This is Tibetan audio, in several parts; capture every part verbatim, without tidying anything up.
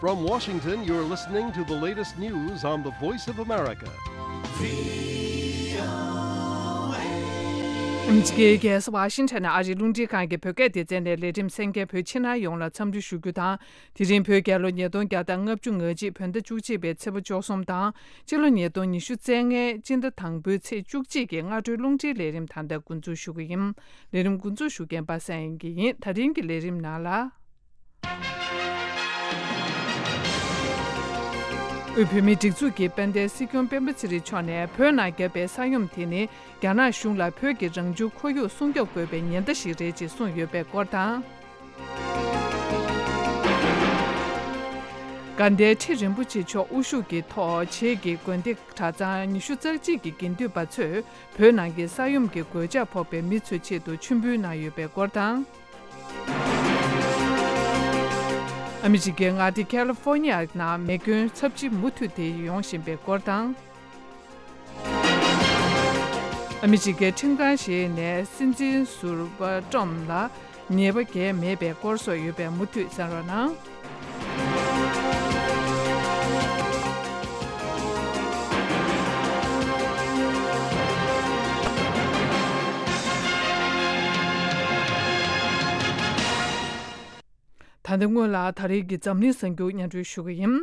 From Washington, you're listening to the latest news on the Voice of America. ཨ་མི་རི་ཀའི་རྒྱལ་ས་ཝ་ཤིང་ཊོན་ནས་ཨ་རིའི་རླུང་འཕྲིན་ཁང་གི་བོད་སྐད་སྡེ་ཚན་ནས་ལས་རིམ་གསན་མཁན་བོད་ཕྱི་ནང་ཡོངས་ལ་འཚམས་འདྲི་ཞུ་རྒྱུ་དང་། དེ་རིང་བོད་རྒྱལ་ལོ་ཉིས་སྟོང་བརྒྱ་དང་ལྔ་བཅུ་ང་གཅིག་བོད་ཟླ་བཅུ་གཅིག་པའི་ཚེས་པ་བཅུ་གསུམ་དང་། སྤྱི་ལོ་ཉིས་སྟོང་ཉི་ཤུ་རྩ་ལྔའི་སྤྱི་ཟླ་དང་པོའི་ཚེས་བཅུ་གཅིག་གི་སྔ་དྲོའི་རླུང་འཕྲིན་ལས་རིམ་ད་ལྟ་འགོ་འཛུགས་ཞུ་གི་ཡིན། ལས་རིམ་འགོ་འཛུགས་ཞུ་མཁན་པ་སངས་དབྱངས་སྐྱིད་ཡིན། ད་རིང་གི་ལས་རིམ་ནང་ལ། དབུས་བོད་མིའི་སྒྲིག་འཛུགས་ཀྱི་དཔལ་ལྡན་སྲིད་སྐྱོང་སྤེན་པ་ཚེ་རིང་མཆོག་ནས་བོད་ནང་བརྒྱབ་པའི་ས་ཡོམ་དེ་ནི་རྒྱ་ནག་གཞུང་ལ་བོད་ཀྱི་རང་བྱུང་ཁོར་ཡུག་སྲུང་སྐྱོབ་དགོས་པའི་ཉེན་བརྡ་ཞིག་རེད་ཅེས་གསུངས་ཡོད་པའི་སྐོར་དང་། དགའ་ལྡན་ཁྲི་རིན་པོ་ཆེ་མཆོག་དབུ་བཞུགས་ཀྱི་ཐོག་བྱེས་ཀྱི་དགོན་སྡེ་གྲྭ་ཚང་ཉི་ཤུ་རྩ་གཅིག་གི་དགེ་འདུན་པ་ཚོས་བོད་ནང་གི་ས་ཡོམ་གྱི་གོད་ཆག་ཕོག་པའི་མི་ཚོའི་ཆེད་དུ་མཆོད་འབུལ་གནང་ཡོད་པའི་སྐོར་དང་། ཨ་མི་རི་ཀའི་མངའ་སྡེ་ཁ་ལི་ཧྥོ་ནི་ཡ་ནང་མེ་སྐྱོན་ཚབས་ཆེ་མུ་མཐུད་དེ་ཡོང་བཞིན་པའི་སྐོར་དང་། ཨ་མི་རི་ཀའི་ཁྲིམས་ཁང་ཞིག་ནས་སྲིད་འཛིན་ཟུར་པ་ཀྲམ་ལ་ཉེས་པ་འགེལ་མེད་པའི་སྐོར་སོགས་ཡོད་པས་མུ་མཐུད་གསན་རོགས་གནང་། ད་ལྟ་སྔོན་ལ་ད་རེས་ཀྱི་འཛམ་གླིང་གསར་འགྱུར་སྙན་སྒྲོན་ཞུ་གི་ཡིན།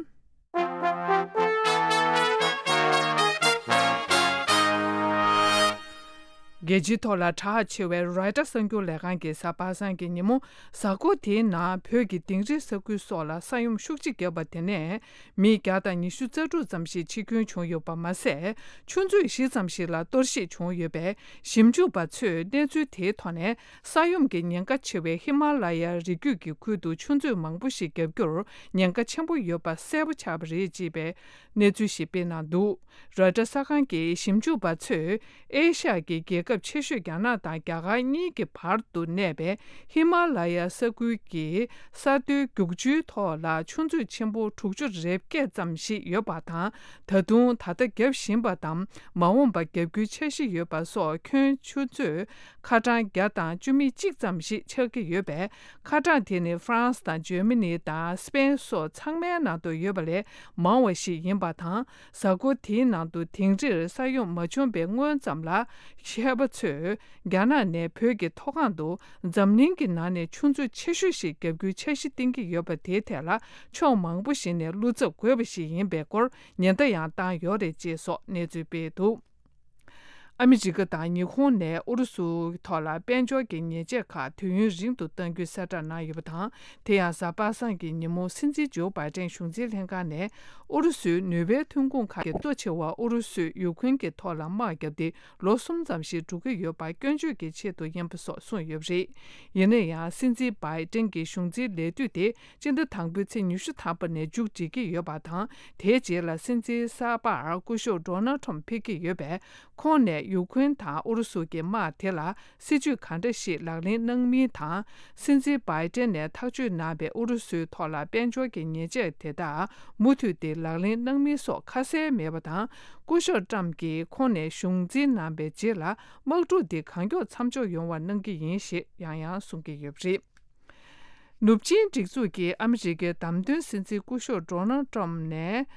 རྒྱལ་སྤྱིའི་ཐོག་ལ་གྲགས་ཆེ་བའི་རོའི་ཊར་གསར་འགྱུར་ལས་ཁང་གིས་གཟའ་པ་སངས་ཀྱི་ཉིན་མོ་གཟའ་འཁོར་དེའི་ནང་བོད་ཀྱི་དིང་རི་ས་ཁུལ་སོགས་ལ་ས་ཡོམ་ཤུགས་ཆེ་བརྒྱབ་པ་དེ་ནས་མི་བརྒྱ་དང་ཉི་ཤུ་རྩ་དྲུག་ཙམ་ཞིག་འཆི་སྐྱོན་བྱུང་ཡོད་པ་མ་ཟད། ཆུ་མཛོད་བཞི་ཙམ་ཞིག་ལ་གཏོར་བཤིག་བྱུང་ཡོད་པས། ཞིབ་འཇུག་པ་ཚོས་གནས་ཚུལ་དེའི་ཐོག་ནས། ས་ཡོམ་གྱི་ཉེན་ཁ་ཆེ་བའི་ཧི་མ་ལ་ཡའི་རི་རྒྱུད་ཀྱི་ཁུལ་དུ་ཆུ་མཛོད་མང་པོ་ཞིག་བརྒྱབ་རྒྱུར་ཉེན་ཁ་ཆེན་པོ་ཡོད་པ་གསལ་པོ་ཆགས་པ་རེད་ཅེས་པའི་གནས་ཚུལ་ཞིག་སྤེལ་གནང་འདུག་རོའི་ཊར་གསར་ཁང་གི་ཞིབ་འཇུག་པ་ཚོས་ཨེ་ཤ་ཡ་གི་རྒྱལ་ཁབ་ཆེ་ཤོས་རྒྱ་ནག་དང་རྒྱ་གར་གཉིས་ཀྱི་བར་དུ་གནས་པའི་ཧི་མ་ལ་ཡ་ས་ཁུལ་གྱི་ས་མཐོའི་རྒྱུག་ཆུའི་ཐོག་ལ་ཆུ་མཛོད་ཆེན་པོ་དྲུག་ཅུ་རེ་བརྒྱད་ཙམ་ཞིག་ཡོད་པ་དང་། ད་དུང་ད་ལྟ་བརྒྱབ་བཞིན་པ་དང་། མ་འོངས་པར་བརྒྱབ་རྒྱུའི་འཆར་གཞི་ཡོད་པ་སོགས་ཁྱོན་ཆུ་མཛོད་ཁ་གྲངས་བརྒྱ་དང་བཅུ་མེད་གཅིག་ཙམ་ཞིག་ཆགས་ཀྱི་ཡོད་པས། ཁ་གྲངས་དེ་ནི་ཧྥ་རན་སི་དང་འཇར་མ་ནི་དང་སི་པེན་སོགས་ཚང་མའི་ནང་དུ་ཡོད་པ་ལས་མང་བ་ཞིག་ཡིན་པ་དང་། གཟའ་འཁོར་དེའི་ནང་དུ་དིང་རིར་ས་ཡོམ་མ་བྱུང་བའི་སྔོན་ཙམ་ལ། མཁས་པ་ཚོས་རྒྱ་ནག་ནས་བོད་ཀྱི་མཐོ་སྒང་དུ་འཛམ་གླིང་གི་ནང་ནས་ཆུ་མཛོད་ཆེ་ཤོས་ཤིག་བརྒྱབ་རྒྱུའི་འཆར་གཞི་བཏིང་གི་ཡོད་པ་དེའི་ཐད་ལ་ཕྱོགས་མང་པོ་ཞིག་ནས་བློ་འཚབ་དགོས་པ་ཞིག་ཡིན་པའི་སྐོར་ཉེན་བརྡ་ཡང་བཏང་ཡོད་རེད་ཅེས་སོགས་གནས་ཚུལ་སྤེལ་འདུག་ཨ་མི་རི་ཀ་དང་ཉི་ཧོང་ནས་ཨུ་རུ་སུའི་ཐོག་ལ་དཔལ་འབྱོར་གྱི་ཉེས་ཆད་ཁག་དུས་ཡུན་རིང་དུ་གཏང་རྒྱུའི་གསལ་བསྒྲགས་གནང་ཡོད་པ་དང་། དེ་ཡང་གཟའ་པ་སངས་ཀྱི་ཉིན་མོ་སྲིད་འཛིན་ཇོ་བྷའི་ཏན་གཞུང་འཛིན་ལྷན་ཁང་ནས་ཨུ་རུ་སུའི་ནུས་པའི་ཐོན་ཁུངས་ཁག་གི་གཙོ་ཆེ་བ་ཨུ་རུ་སུས་ཡུ་ཁུན་གྱི་ཐོག་ལ་དམག་བརྒྱབ་སྟེ་ལོ་གསུམ་ཙམ་ཞིག་འགྲོ་གི་ཡོད་པ་སྐྱོན་བརྗོད་ཀྱི་ཆེད་དུ་ཡིན་པ་སོགས་གསུངས་ཡོད་པ་རེད། ཡིན་ན་ཡང་སྲིད་འཛིན་བྷའི་ཏན་གྱི་གཞུང་འཛིན་ལས་དུས་དེ། སྤྱི་ཟླ་དང་པོའི་ཚེས་ཉི་ཤུ་ཐམ་པ་ནས་མཇུག་སྒྲིལ་གྱི་ཡོད་པ་དང་། དེའི་རྗེས་ལ་སྲིད་འཛིན་གསར་པར་སྐུ་ཞབས་ཌོ་ནལ་ཁྲམ་ཕེབས་ཀྱི་ཡོད་པས། ཁོང་ནས་ཡུ་ཁུན་དང་ཨུ་རུ་སུ་གྱི་དམག་དེ་ལ་སྲིད་ཇུས་ག་འདྲ་ཞིག་ལག་ལེན་གནང་མིན་དང་། སྲིད་འཛིན་བྷའི་ཏན་ནས་ཐག་གཅོད་གནང་བའི་ཨུ་རུ་སུའི་ཐོག་ལ་དཔལ་འབྱོར་གྱི་ཉེས་ཆད་དེ་དག་མུ་མཐུད་དེ་ལག་ལེན་གནང་མིན་སོགས་ཁ་གསལ་མེད་པ་དང་། སྐུ་ཞབས་ཀྲམ་གྱིས་ཁོང་ནས་གཞུང་འཛིན་གནང་བའི་རྗེས་ལ་དམག་འཁྲུག་འདི་གང་མགྱོགས་མཚམས་འཇོག་ཡོང་བ་གནང་གི་ཡིན་ཞེས་ཡང་ཡང་གསུང་གི་ཡོད་པ་རེད། ནུབ་ཆིངས་སྒྲིག་འཛུགས་ཀྱིས་ཨ་མི་རི་ཀའི་བདམས་ཐོན་སྲིད་འཛིན་སྐུ་ཞབས་ཌོ་ནལ་ཏྲམ་ནས།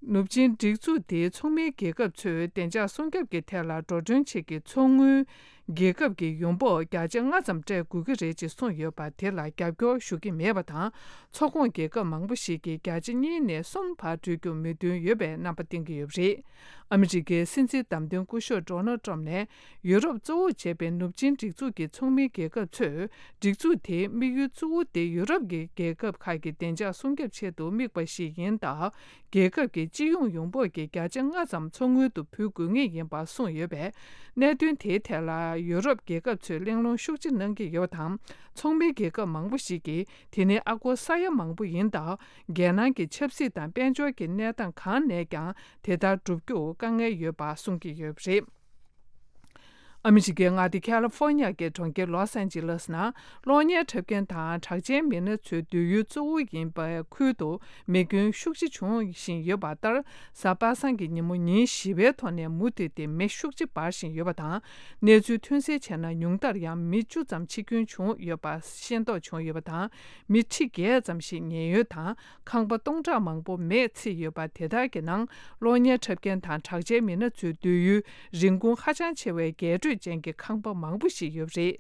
ནུབ་ཆིངས་སྒྲིག་འཛུགས་དེའི་ཚོགས་མིའི་རྒྱལ་ཁབ་ཚོས་བདེ་འཇགས་སྲུང་སྐྱོབ་ཀྱི་ཐད་ལ་འགྲོ་གྲོན་ཆེད་ཀྱི་ཚོགས་དངུལ་རྒྱལ་ཁབ་ཀྱི་ཡོང་འབབ་བརྒྱ་ཆ་ལྔ་ཙམ་སྤྲད་དགོས་ཀྱི་རེད་ཅེས་གསུངས་ཡོད་པ་དེ་ལ་རྒྱབ་སྐྱོར་ཞུ་གི་མེད་པ་དང་། ཚོགས་ཁོངས་རྒྱལ་ཁབ་མང་པོ་ཞིག་གིས་བརྒྱ་ཆ་གཉིས་ནས་གསུམ་བར་སྤྲོད་རྒྱུར་མོས་མཐུན་ཡོད་པའི་རྣམ་པ་བསྟན་གྱི་ཡོད་པ་རེད། ཨ་མི་རི་ཀའི་སྲིད་འཛིན་བདམས་ཐོན་སྐུ་ཞབས་ཌོ་ནལ་ཏྲམ་ནས། ཡུ་རོབ་གཙོ་བོ་བྱས་པའི་ནུབ་ཆིངས་སྒྲིག་འཛུགས་ཀྱི་ཚོགས་མིའི་རྒྱལ་ཁབ་ཚོས། སྒྲིག་འཛུགས་དེའི་དམིགས་ཡུལ་གཙོ་བོ་དེ་ཡུ་རོབ་ཀྱི་རྒྱལ་ཁབ་ཁག་གི་བདེ་འཇགས་སྲུང་སྐྱོབ་ཆེད་དུ་དམིགས་པ་ཞིག་ཡིན་སྟབས། རྒྱལ་ཁབ་ཀྱི་སྤྱི་ཡོངས་ཡོང་འབབ་ཀྱི་བརྒྱ་ཆ་ལྔ་ཙམ་ཚོགས་དངུལ་དུ་འབུལ་དགོས་ངེས་ཡིན་པ་གསུངས་ཡོད་པས། གནད་དོན་དེའི་ཐད་ལ་ཡུ་རོབ་རྒྱལ་ཁབ་ཚོས་གླེང་སློང་ཤུགས་ཆེ་གནང་གི་ཡོད་པ་དང་། ཚོགས་མིའི་རྒྱལ་ཁབ་མང་པོ་ཞིག་གིས་དེ་ནི་ཨ་སྒོར་ས་ཡ་མང་པོ་ཡིན་སྟབས། རྒྱལ་ནང་གི་ཆབ་སྲིད་དང་དཔལ་འབྱོར་གྱི་གནས་སྟངས་གང་ནས་ཀྱང་དེ་ལྟར་བསྒྲུབ་རྒྱུར་དཀའ་ངལ་ཡོད་པ་གསུང་གི་ཡོད་པ་རེད། ཨ་མི་རི་ཀའི་མངའ་སྡེ་ཁ་ལི་ཧྥོ་ནི་ཡ་གི་གྲོང་ཁྱེར་ལོས་ཨན་ཇི་ལེས་ནང་གློག་བརྙན་འཁྲབ་མཁན་དང་གྲགས་ཅན་མི་སྣ་ཚོའི་སྡོད་ཡུལ་གཙོ་བོ་ཡིན་པའི་ཁུལ་དུ་མེ་སྐྱོན་ཤུགས་ཆེ་འབྱུང་བཞིན་ཡོད་པ་ལྟར། གཟའ་པ་སངས་ཀྱི་ཉིན་མོ་ཉིན་བཞི་པའི་ཐོག་ནས་མུ་མཐུད་དེ་མེ་ཤུགས་ཆེ་འབར་བཞིན་ཡོད་པ་དང་། གནས་ཚུལ་ཐོན་གསལ་བྱས་ན། ཉུང་མཐར་ཡང་མི་བཅུ་ཙམ་འཆི་སྐྱོན་བྱུང་ཡོད་པ་ཤེས་རྟོགས་བྱུང་ཡོད་པ་དང་། མི་ཁྲི་བརྒྱད་ཙམ་ཞིག་ཉེན་གཡོལ་དང་། ཁང་པ་སྟོང་ཕྲག་མང་པོ་མེས་ཚིག་ཡོད་པ་དེ་དག་གི་ནང་གློག་བརྙན་འཁྲབ་མཁན་དང་གྲགས་ཅན་མི་སྣ་ཚོའི་སྡོད་ཡུལ་རིན་གོང་ཧ་ཅང་ཆེ་བའི་རྒྱས་སྤྲོས་ཅན་གྱི་ཁང་པ་མང་པོ་ཞིག་ཡོད་པ་རེད།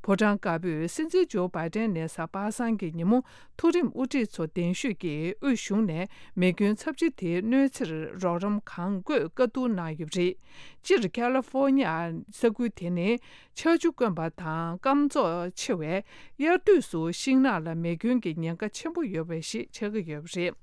ཕོ་བྲང་དཀར་པོས་སྲིད་འཛིན་ཇོ་བྷའི་ཏན་ནས་གཟའ་པ་སངས་ཀྱི་ཉིན་མོ་མཐོ་རིམ་དབུ་ཁྲིད་ཚོ་གདན་ཞུས་ཀྱིས་དབུས་གཞུང་ནས་མེ་སྐྱོན་ཚབས་ཆེ་དེའི་གནོད་འཚེར་རོགས་རམ་གང་དགོས་བཀའ་བསྡུར་གནང་ཡོད་པ་རེད། སྤྱིར་ཁ་ལི་ཧྥོ་ནི་ཡ་ས་ཁུལ་དེ་ནི་ཆར་ཆུ་དཀོན་པ་དང་སྐམ་བཙོག་ཆེ་བས། དབྱར་དུས་སུ་ཤིང་ནགས་ལ་མེ་སྐྱོན་གྱི་ཉེན་ཁ་ཆེན་པོ་ཡོད་པ་ཞིག་ཆགས་ཀྱི་ཡོད་པ་རེད།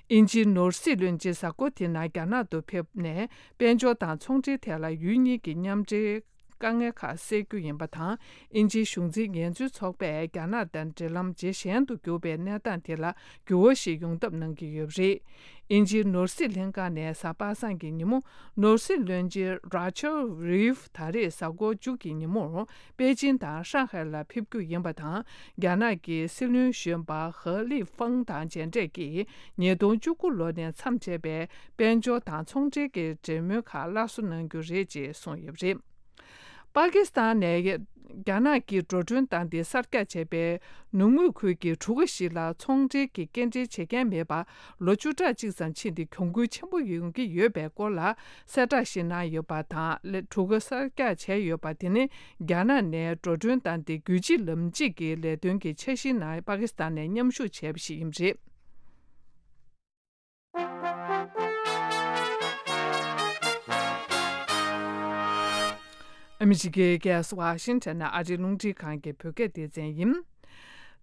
དབྱིན་ཇིའི་ནོར་སྲིད་བློན་ཆེན་གཟའ་འཁོར་དེ་ནང་རྒྱ་ནག་ཏུ་ཕེབས་ནས། དཔལ་འབྱོར་དང་ཚོང་འབྲེལ་ཐད་ལ་ཡུལ་གཉིས་ཀྱི་མཉམ་འབྲེལ་དཀའ་ངལ་ཁག་སེལ་རྒྱུ་ཡིན་པ་དང་། དབྱིན་ཇིའི་གཞུང་འཛིན་ངལ་རྩོལ་ཚོགས་པས་རྒྱ་ནག་དང་འབྲེལ་ལམ་ཇེ་ཞན་དུ་གྱུར་པའི་གནས་སྟངས་དེ་ལ་འགྱུར་བ་ཞིག་ཡོང་ཐབས་གནང་གི་ཡོད་པ་རེད། དབྱིན་ཇིའི་ནོར་སྲིད་ལྷན་ཁང་ནས་གཟའ་པ་སངས་ཀྱི་ཉིན་མོ། ནོར་སྲིད་བློན་ཆེན་ར་ཆལ་རིབ་ད་རེས་གཟའ་འཁོར་མཇུག་གི་ཉིན་མོར་པེ་ཅིན་དང་ཧྲང་ཧའེ་ལ་ཕེབས་རྒྱུ་ཡིན་པ་དང་། རྒྱ་ནག་གི་སྲིད་བློན་གཞོན་པ་ཧ་ལི་ཧྥང་དང་མཇལ་འཕྲད་ཀྱིས་ཉིས་སྟོང་བཅུ་དགུ་ལོ་ནས་མཚམས་ཆད་པའི་དཔལ་འབྱོར་དང་ཚོང་འབྲེལ་གྱི་འབྲེལ་མོལ་ཁག་སླར་གསོ་གནང་རྒྱུ་རེད་ཅེས་གསུངས་ཡོད་པ་རེད། པ་ཀི་སི་ཐན་ནས་རྒྱ་ནག་གིས་འགྲོ་གྲོན་བཏང་སྟེ་གསར་རྒྱག་བྱས་པའི་ནུབ་ངོས་ཁུལ་གྱི་གྲུ་ཁ་ཞིག་ལ་ཚོང་འབྲེལ་གྱི་སྐྱེལ་འདྲེན་བྱེད་མཁན་མེད་པར་ལོ་བཅུ་ཕྲག་གཅིག་ཙམ་ཕྱིན་ཏེ་གྱོང་གུན་ཆེན་པོ་ཡོང་གི་ཡོད་པའི་སྐོར་ལ་གསལ་བསྒྲགས་ཤིག་གནང་ཡོད་པ་དང་། ལས་གྲུ་ཁ་གསར་རྒྱག་བྱས་ཡོད་པ་དེ་ནི་རྒྱ་ནག་ནས་འགྲོ་གྲོན་བཏང་སྟེ་རྒྱུད་གཅིག་ལམ་གཅིག་གི་ལས་དོན་གྱི་འཆར་གཞིའི་ནང་པ་ཀི་སི་ཐན་ནས་མཉམ་ཞུགས་བྱས་པ་ཞིག་ཡིན་པ་རེད། ཨ་མི་རི་ཀའི་རྒྱལ་ས་ཝ་ཤིང་ཊོན་ནས་ཨ་རིའི་རླུང་འཕྲིན་ཁང་གི་བོད་སྐད་སྡེ་ཚན་ཡིན།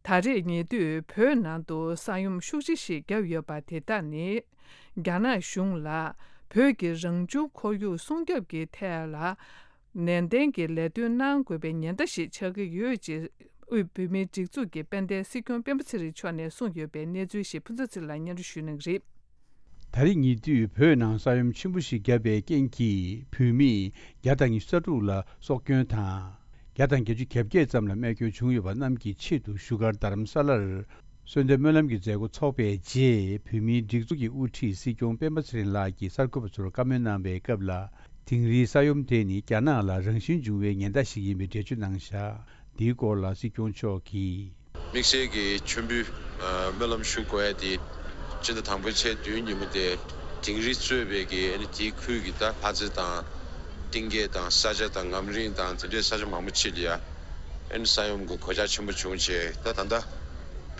ད་རེས་ཉེ་དུས་བོད་ནང་དུ་ས་ཡོམ་ཤུགས་ཆེ་ཞིག་བརྒྱབ་ཡོད་པ་དེ་དག་ནི། རྒྱ་ནག་གཞུང་ལ་བོད་ཀྱི་རང་བྱུང་ཁོར་ཡུག་སྲུང་སྐྱོབ་ཀྱི་ཐད་ལ་ནན་ཏན་གྱིས་ལས་དོན་གནང་དགོས་པའི་ཉེན་བརྡ་ཞིག་ཆགས་ཀྱི་ཡོད་ཅེས་དབུས་བོད་མིའི་སྒྲིག་འཛུགས་ཀྱི་དཔལ་ལྡན་སྲིད་སྐྱོང་སྤེན་པ་ཚེ་རིང་མཆོག་ནས་གསུངས་ཡོད་པའི་གནས་ཚུལ་ཞིག་ཕུན་ཚོགས་ཚེ་རིང་ལགས་སྙན་སྒྲོན་ཞུ་གནང་གི་རེད། ད་རེས་ཉེ་དུས་བོད་ནང་ས་ཡོམ་ཆེན་པོ་ཞིག་བརྒྱབ་པའི་རྐྱེན་གྱིས་བོད་མི་བརྒྱ་དང་ཉི་ཤུ་རྩ་དྲུག་ལ་སྲོག་སྐྱོན་དང་། བརྒྱ་དང་བརྒྱད་ཅུ་གྱ་བརྒྱད་ཙམ་ལ་རྨས་སྐྱོན་བྱུང་ཡོད་པ་རྣམས་ཀྱི་ཆེད་དུ་བཞུགས་སྒར་རྡ་རམ་ས་ལར་གསོལ་འདེབས་སྨོན་ལམ་གྱི་མཛད་སྒོ་འཚོགས་པའི་རྗེས། བོད་མིའི་སྒྲིག་འཛུགས་ཀྱི་དབུ་ཁྲིད་སྲིད་སྐྱོང་སྤེན་པ་ཚེ་རིང་ལགས་ཀྱིས་གསར་འགོད་པ་ཚོར་བཀའ་མོལ་གནང་བའི་སྐབས་ལ། དིང་རིའི་ས་ཡོམ་དེ་ནི་རྒྱ་ནག་ལ་རང་བཞིན་འབྱུང་བའི་ཉེན་བརྡ་ཞིག་ཡིན་པའི་འགྲེལ་བརྗོད་གནང་བཞག་འདིའི་སྐོར་ལ་སྲིད་སྐྱོང་མཆོག་གིས། དམིགས་བསལ་གྱི་མཆོད་འབུལ་སྨོན་ལམ་ཞུ་དགོས་ཡ་དེ། སྤྱི་ཟླ་དང་པོའི་ཚེས་བདུན་ཉིན་མོ་དེ་དིང་རི་གཙོས་པའི་གི་ཨ་ནི་དེའི་ཁུལ་གྱི་ད་ལྷ་རྩེ་དང་གཏིང་སྐྱེས་དང་ས་ཆ་དང་ངམ་རིང་དང་དེ་འདྲའི་ས་ཆ་མང་པོ་ཅིག་ལ་ཡ་ཨ་ནི་ས་ཡོམ་གྱི་གོད་ཆག་ཆེན་པོ་བྱུང་བྱས། ད་ད་ལྟ་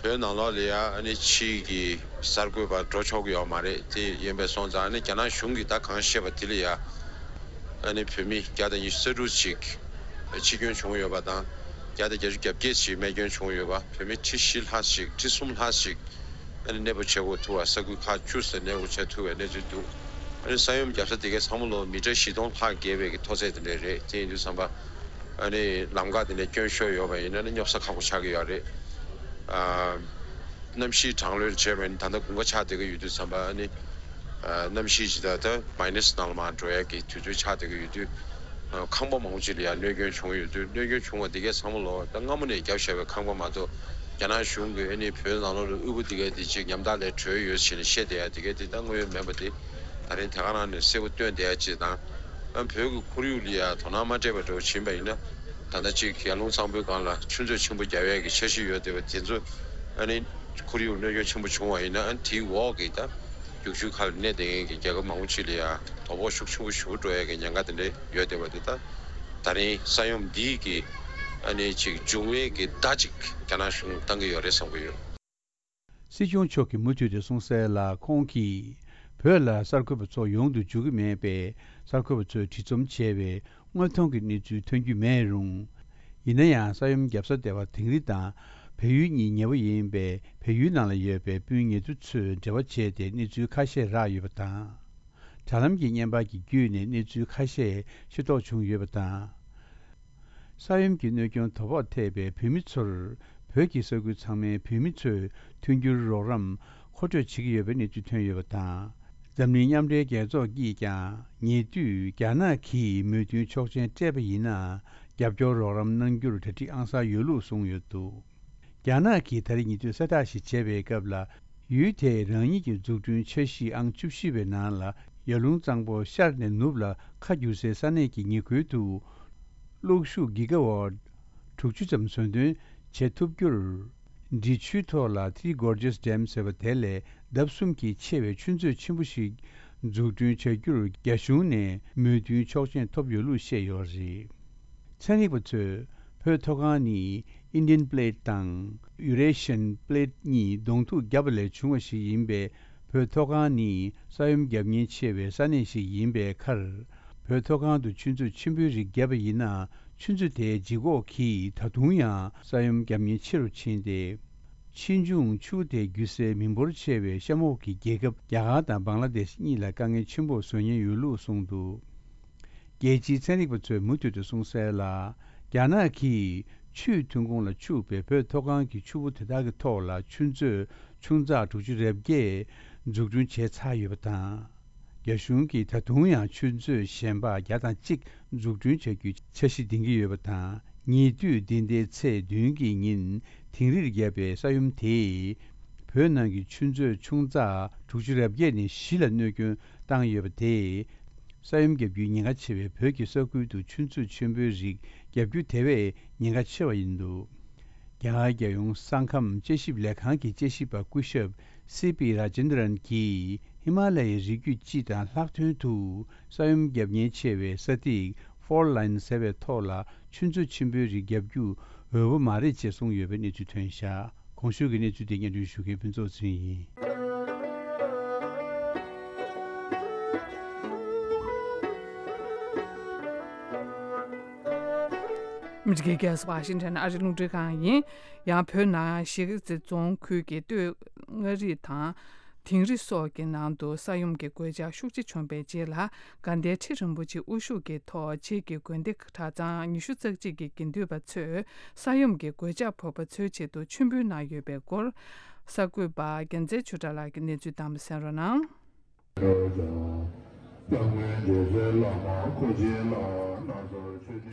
བོད་ནང་ལོགས་ལ་ཡ་ཨ་ནི་ཕྱིའི་གི་གསར་འགོད་པ་འགྲོ་ཆོག་གི་ཡོད་མ་རེད། དེ་ཡིན་པས་སོང་ཙང་ཨ་ནི་རྒྱ་ནག་གཞུང་གིས་ད་གང་བཤད་པ་དེ་ལ་ཡ། ཨ་ནི་བོད་མི་བརྒྱ་དང་ཉི་ཤུ་རྩ་དྲུག་ཅིག་འཆི་སྐྱོན་བྱུང་ཡོད་པ་དང་། བརྒྱ་དང་བརྒྱད་ཅུ་གྱ་བརྒྱད་ཅིག་རྨས་སྐྱོན་བྱུང་ཡོད་པ། བོད་མི་ཁྲི་བཞི་ལྷག་ཅིག་ཁྲི་གསུམ་ལྷག་ཅིག་ཨ་ནི་གནས་སྤོ་བྱེད་དགོས་ཐུག་པ། ས་ཁུལ་ཁག་བཅུ་ཙམ་གནས་སྤོ་བྱེད་ཐུབ་པའི་གནས་ཚུལ་འདུག་ཨ་ནི་ས་ཡོམ་བརྒྱབ་ས་དེ་གའི་ཚང་མ་ལོ་མི་ཊར་བཞི་སྟོང་ལྷག་བརྒལ་བའི་གི་མཐོ་ཚད་དེ་འདྲ་རེད། དེ་ཡིན་དུས་ཙམ་པ་ཨ་ནི་ལམ་ཁ་དེ་འདྲ་སྐྱོན་ཤོར་ཡོད་པ་ཡིན་ན་ནི་སྙོབ་ས་ཁག་པོ་ཆགས་ཀྱི་ཡོད་རེད། ཨ། གནམ་གཤིས་གྲང་ལྷོད་བྱས་པ་ཡིན་ན། ད་ལྟ་དགུན་ཁ་ཆགས་བསྡད་ཀྱི་ཡོད་དུས་ཙམ་པ་ཨ་ནི། ཨ། གནམ་གཤིས་ཇི་ལྟར་ད་མའི་ནས་ནང་ལ་མར་འགྲོ་ཡ་གི་དུས་ཚོད་ཆགས་བསྡད་ཀྱི་ཡོད་དུས། ཨ། ཁང་པ་མང་པོ་ཅིག་ལ་ཡང་གནོད་སྐྱོན་བྱུང་ཡོད་དུས། གནོད་སྐྱོན་བྱུང་བ་འདི་གའི་ཚང་མ་ལོ་ད་སྔ་མོ་ནས་བརྒྱབ་བཞག་པའི་ཁང་པ་མ་གཏོགས། རྒྱ་ནག་གཞུང་གིས་ཨ་ནི་བོད་ནང་ལོགས་ལ་དབུལ་པོ་འདི་གའི་འདི་ཅིག་ཉམ་ཐག་ལས་གྲོལ་ཡོད་ཟེར་ནས་བཤད་བསྡད་ཡ་འདི་གའི་འདི་ད་དངོས་ཡོད་མིན་པ་འདི་ད་རིང་དེ་ག་རང་ནས་གསལ་པོ་སྟོན་བསྡད་ཡ་ཅིག་དང་། ཨ། བོད་ཀྱི་ཁོར་ཡུག་ལ་ཡ་དོ་སྣང་མ་སྤྲད་པ་འདྲ་བོ་ཕྱིན་པ་ཡིན་ན། ད་ལྟ་ཅིག་ཡར་ཀླུང་གཙང་པོའི་སྒང་ལ་ཆུ་མཛོད་ཆེན་པོ་རྒྱག་ཡས་ཀྱི་འཆར་གཞི་ཡོད་བསྡད་པ་དེ་ཚོ་ཨ་ནི་ཁོར་ཡུག་གནོད་སྐྱོན་ཆེན་པོ་བྱུང་བ་ཡིན་ན། ཨ་ནི་དེའི་འོག་གི་ད་རྒྱུག་ཆུའི་ཁ་ལ་གནས་བསྡད་མཁན་གྱི་རྒྱལ་ཁབ་མང་པོ་ཅིག་ལ་ཡང་དོ་ཕོག་ཤུགས་ཆེན་པོ་ཞིག་འགྲོ་ཡས་ཀྱི་ཉེན་ཁ་དེ་འདྲ་ཡོད་བསྡད་པ་དེ། ད་ད་རིང་ས་ཡོམ་འདིའི་གི་ཨ་ནི་ཅིག་འབྱུང་བའི་གི་བརྡ་ཅིག་རྒྱ་ནག་གཞུང་བཏང་གི་ཡོད་རེད་བསམ་གྱི་ཡོད། སྲིད་སྐྱོང་མཆོག་གིས་མུ་མཐུད་དེ་གསུངས་གསལ་ལ། ཁོང་གིས་བོད་ལ་གསར་འགོད་པ་ཚོ་ཡོང་དུ་འཇུག་གི་མེད་པས། གསར་འགོད་པ་ཚོས་བྲིས་རྩོམ་བྱས་པའི་དངོས་མཐོང་གི་གནས་ཚུལ་ཐོན་རྒྱུ་མེད་རུང་། ཡིན་ན་ཡང་ས་ཡོམ་བརྒྱབ་ས་སྡེ་བ་དིང་རི་དང་བལ་ཡུལ་གཉིས་ཉེ་བོ་ཡིན་པས། བལ་ཡུལ་ནང་ལ་ཡོད་པའི་སྤུན་ཉེ་དུ་ཚོས་འབྲེལ་བ་བྱས་ཏེ་གནས་ཚུལ་ཁ་ཤས་རག་ཡོད་པ་དང་། དྲ་ལམ་གྱི་བརྙན་པར་གྱི་བརྒྱུད་ནས་གནས་ཚུལ་ཁ་ཤས་ཤེས་རྟོགས་བྱུང་ཡོད་པ་དང་། ས་ཡོམ་གྱི་གནོད་སྐྱོན་དོ་ཕོག་ཐེབས་པའི་བོད་མི་ཚོར་བོད་ཀྱི་ས་ཁུལ་ཚང་མའི་བོད་མི་ཚོས་མཐུན་འགྱུར་རོགས་རམ་མཁོ་སྤྲོད་བྱེད་ཀྱི་ཡོད་པའི་གནས་ཚུལ་ཐོན་ཡོད་པ་དང་། འཛམ་གླིང་མཉམ་འབྲེལ་རྒྱལ་ཚོགས་ཀྱིས་ཀྱང་ཉེ་དུས་རྒྱ་ནག་གིས་མོས་མཐུན་ཆོག་མཆན་སྤྲད་པ་ཡིན་ན་རྒྱབ་སྐྱོར་རོགས་རམ་གནང་རྒྱུར་གྲ་སྒྲིག་ཨང་གསར་ཡོད་ལུགས་གསུངས་ཡོད་འདུག་རྒྱ་ནག་གིས་ད་རེས་ཉེ་དུས་གསལ་བསྒྲགས་ཤིག་བྱས་པའི་སྐབས་ལ། ཡུལ་དེས་རང་ཉིད་ཀྱི་འཛུགས་སྐྲུན་འཆར་གཞི་ཨང་བཅུ་བཞི་པའི་ནང་ལ་ཡར་ཀླུང་གཙང་པོ་ཤར་ནས་ནུབ་ལ་ཁ་བསྒྱུར་སའི་ས་གནས་ཀྱི་ཉེ་ཁུལ་དུ་གློག་ཤུགས་གི་ག་ཝཊ་དྲུག་ཅུ་ཙམ་བཟོ་འདོན་བྱེད་ཐུབ་རྒྱུར། འབྲི་ཆུའི་ཐོག་ལ་Three Gorges Dam ཟེར་བ་དེ་ལས་ལྡབ་གསུམ་གྱིས་ཆེ་བའི་ཆུ་མཛོད་ཆེན་པོ་ཞིག་འཛུགས་སྐྲུན་བྱ་རྒྱུར་རྒྱ་གཞུང་ནས་མོས་མཐུན་ཆོག་མཆན་ཐོབ་ཡོད་ལུགས་བཤད་ཡོད་རེད། ཚན་རིག་པ་ཚོས་བོད་མཐོ་སྒང་ནི་Indian Plate དང་Eurasian Plate གཉིས་གདོང་ཐུག་བརྒྱབ་པ་ལས་བྱུང་བ་ཞིག་ཡིན་པས། བོད་མཐོ་སྒང་ནི་ས་ཡོམ་བརྒྱབ་ཉེན་ཆེ་བའི་ས་གནས་ཤིག་ཡིན་པའི་ཁར། བོད་མཐོ་སྒང་དུ་ཆུ་མཛོད་ཆེན་པོའི་རིགས་བརྒྱབ་པ་ཡིན་ན། ཆུ་མཛོད་དེའི་ལྗིད་ཁོག་གིས་ད་དུང་ཡང་ས་ཡོམ་བརྒྱབ་ཉེན་ཆེ་རུ་ཕྱིན་ཏེ། ཕྱིས་འབྱུང་ཆུ་དེ་བརྒྱུད་སའི་མི་འབོར་ཆེ་བའི་གཤམ་འོག་གི་རྒྱལ་ཁབ་རྒྱ་གར་དང་བང་ལ་དེཤ་གཉིས་ལ་དཀའ་ངལ་ཆེན་པོ་བཟོ་ཉེན་ཡོད་ལུགས་གསུངས་འདུག་རྒྱལ་སྤྱིའི་ཚན་རིག་པ་ཚོས་མུ་མཐུད་དུ་གསུངས་གསལ་ལ། རྒྱ་ནག་གིས་ཆུའི་ཐོན་ཁུངས་ལ་ཕྱུག་པའི་བོད་མཐོ་སྒང་གི་ཆུ་བོ་དེ་དག་གི་ཐོག་ལ་ཆུ་མཛོད་ཆུང་ཙག་དྲུག་ཅུ་རེ་བརྒྱད་འཛུགས་སྐྲུན་བྱས་ཚར་ཡོད་པ་དང་། རྒྱ་གཞུང་གིས་ད་དུང་ཡང་ཆུ་མཛོད་གཞན་པ་བརྒྱ་དང་གཅིག་འཛུགས་སྐྲུན་བྱ་རྒྱུའི་འཆར་གཞི་འདིང་གི་ཡོད་པ་དང་། ཉེ་དུས་འདི་ཟླའི་ཚེས་བདུན་གྱི་ཉིན་དིང་རིར་བརྒྱབ་པའི་ས་ཡོམ་དེས། བོད་ནང་གི་ཆུ་མཛོད་ཆུང་ཙག་དྲུག་ཅུ་རེ་བརྒྱད་ནས་བཞི་ལ་གནོད་སྐྱོན་བཏང་ཡོད་པ་དེས། ས་ཡོམ་བརྒྱབ་རྒྱུའི་ཉེན་ཁ་ཆེ་བའི་བོད་ཀྱི་ས་ཁུལ་དུ་ཆུ་མཛོད་ཆེན་པོའི་རིགས་བརྒྱབ་རྒྱུ་དེ་བས་ཉེན་ཁ་ཆེ་བ་ཡིན་འདུག་རྒྱ་གར་རྒྱལ་ཡོངས་ས་ཁམས་དཔྱད་ཞིབ་ལས་ཁང་གི་དཔྱད་ཞིབ་པ་སྐུ་ཞབས་སི་པི་ར་ཇེན་དྲན་གྱིས་ཧི་མ་ལ་ཡའི་རི་རྒྱུད་སྤྱི་དང་ལྷག་དོན་དུ་ས་ཡོམ་བརྒྱབ་ཉེན་ཆེ་བའི་ས་ཐིག་ཕོལ་ལའིན་ཟེར་བའི་ཐོག་ལ་ཆུ་མཛོད་ཆེན་པོའི་རིགས་བརྒྱབ་རྒྱུ་འོས་པ་མ་རེད་ཅེས་གསུངས་ཡོད་པའི་གནས་ཚུལ་ཐོན་བཞག་གོང་ཞུས་ཀྱི་གནས་ཚུལ་དེ་སྙན་སྒྲོན་ཞུ་མཁན་ཕུན་ཚོགས་ཚེ་རིང་ཡིན། མི་རིགས་ཀྱི་རྒྱལ་ས་ཝ་ཤིང་ཊོན་ཨ་རིའི་རླུང་འཕྲིན་ཁང་ཡིན། ཡང་བོད་ནང་གཞིས་ཀ་རྩེ་རྫོང་ཁུལ་གྱི་སྟོད་མངའ་རིས་དང་། དིང་རི་སོགས་ཀྱི་ནང་དུ་ས་ཡོམ་གྱི་གོད་ཆག་ཤུགས་ཆེ་བྱུང་བའི་རྗེས་ལ། དགའ་ལྡན་ཁྲི་རིན་པོ་ཆེ་དབུ་བཞུགས་ཀྱི་ཐོག་བྱེས་ཀྱི་དགོན་སྡེ་གྲྭ་ཚང་ཉི་ཤུ་རྩ་གཅིག་གི་དགེ་འདུན་པ་ཚོས་ས་ཡོམ་གྱི་གོད་ཆག་ཕོག་པ་ཚོའི་ཆེད་དུ་མཆོད་འབུལ་གནང་ཡོད་པའི་སྐོར། གསར་འགོད་པ་རྒྱལ་མཚན་ཆོས་གྲགས་ལགས་ཀྱིས་གནས་ཚུལ་བཏང་བ་གསན་རོགས་གནང་།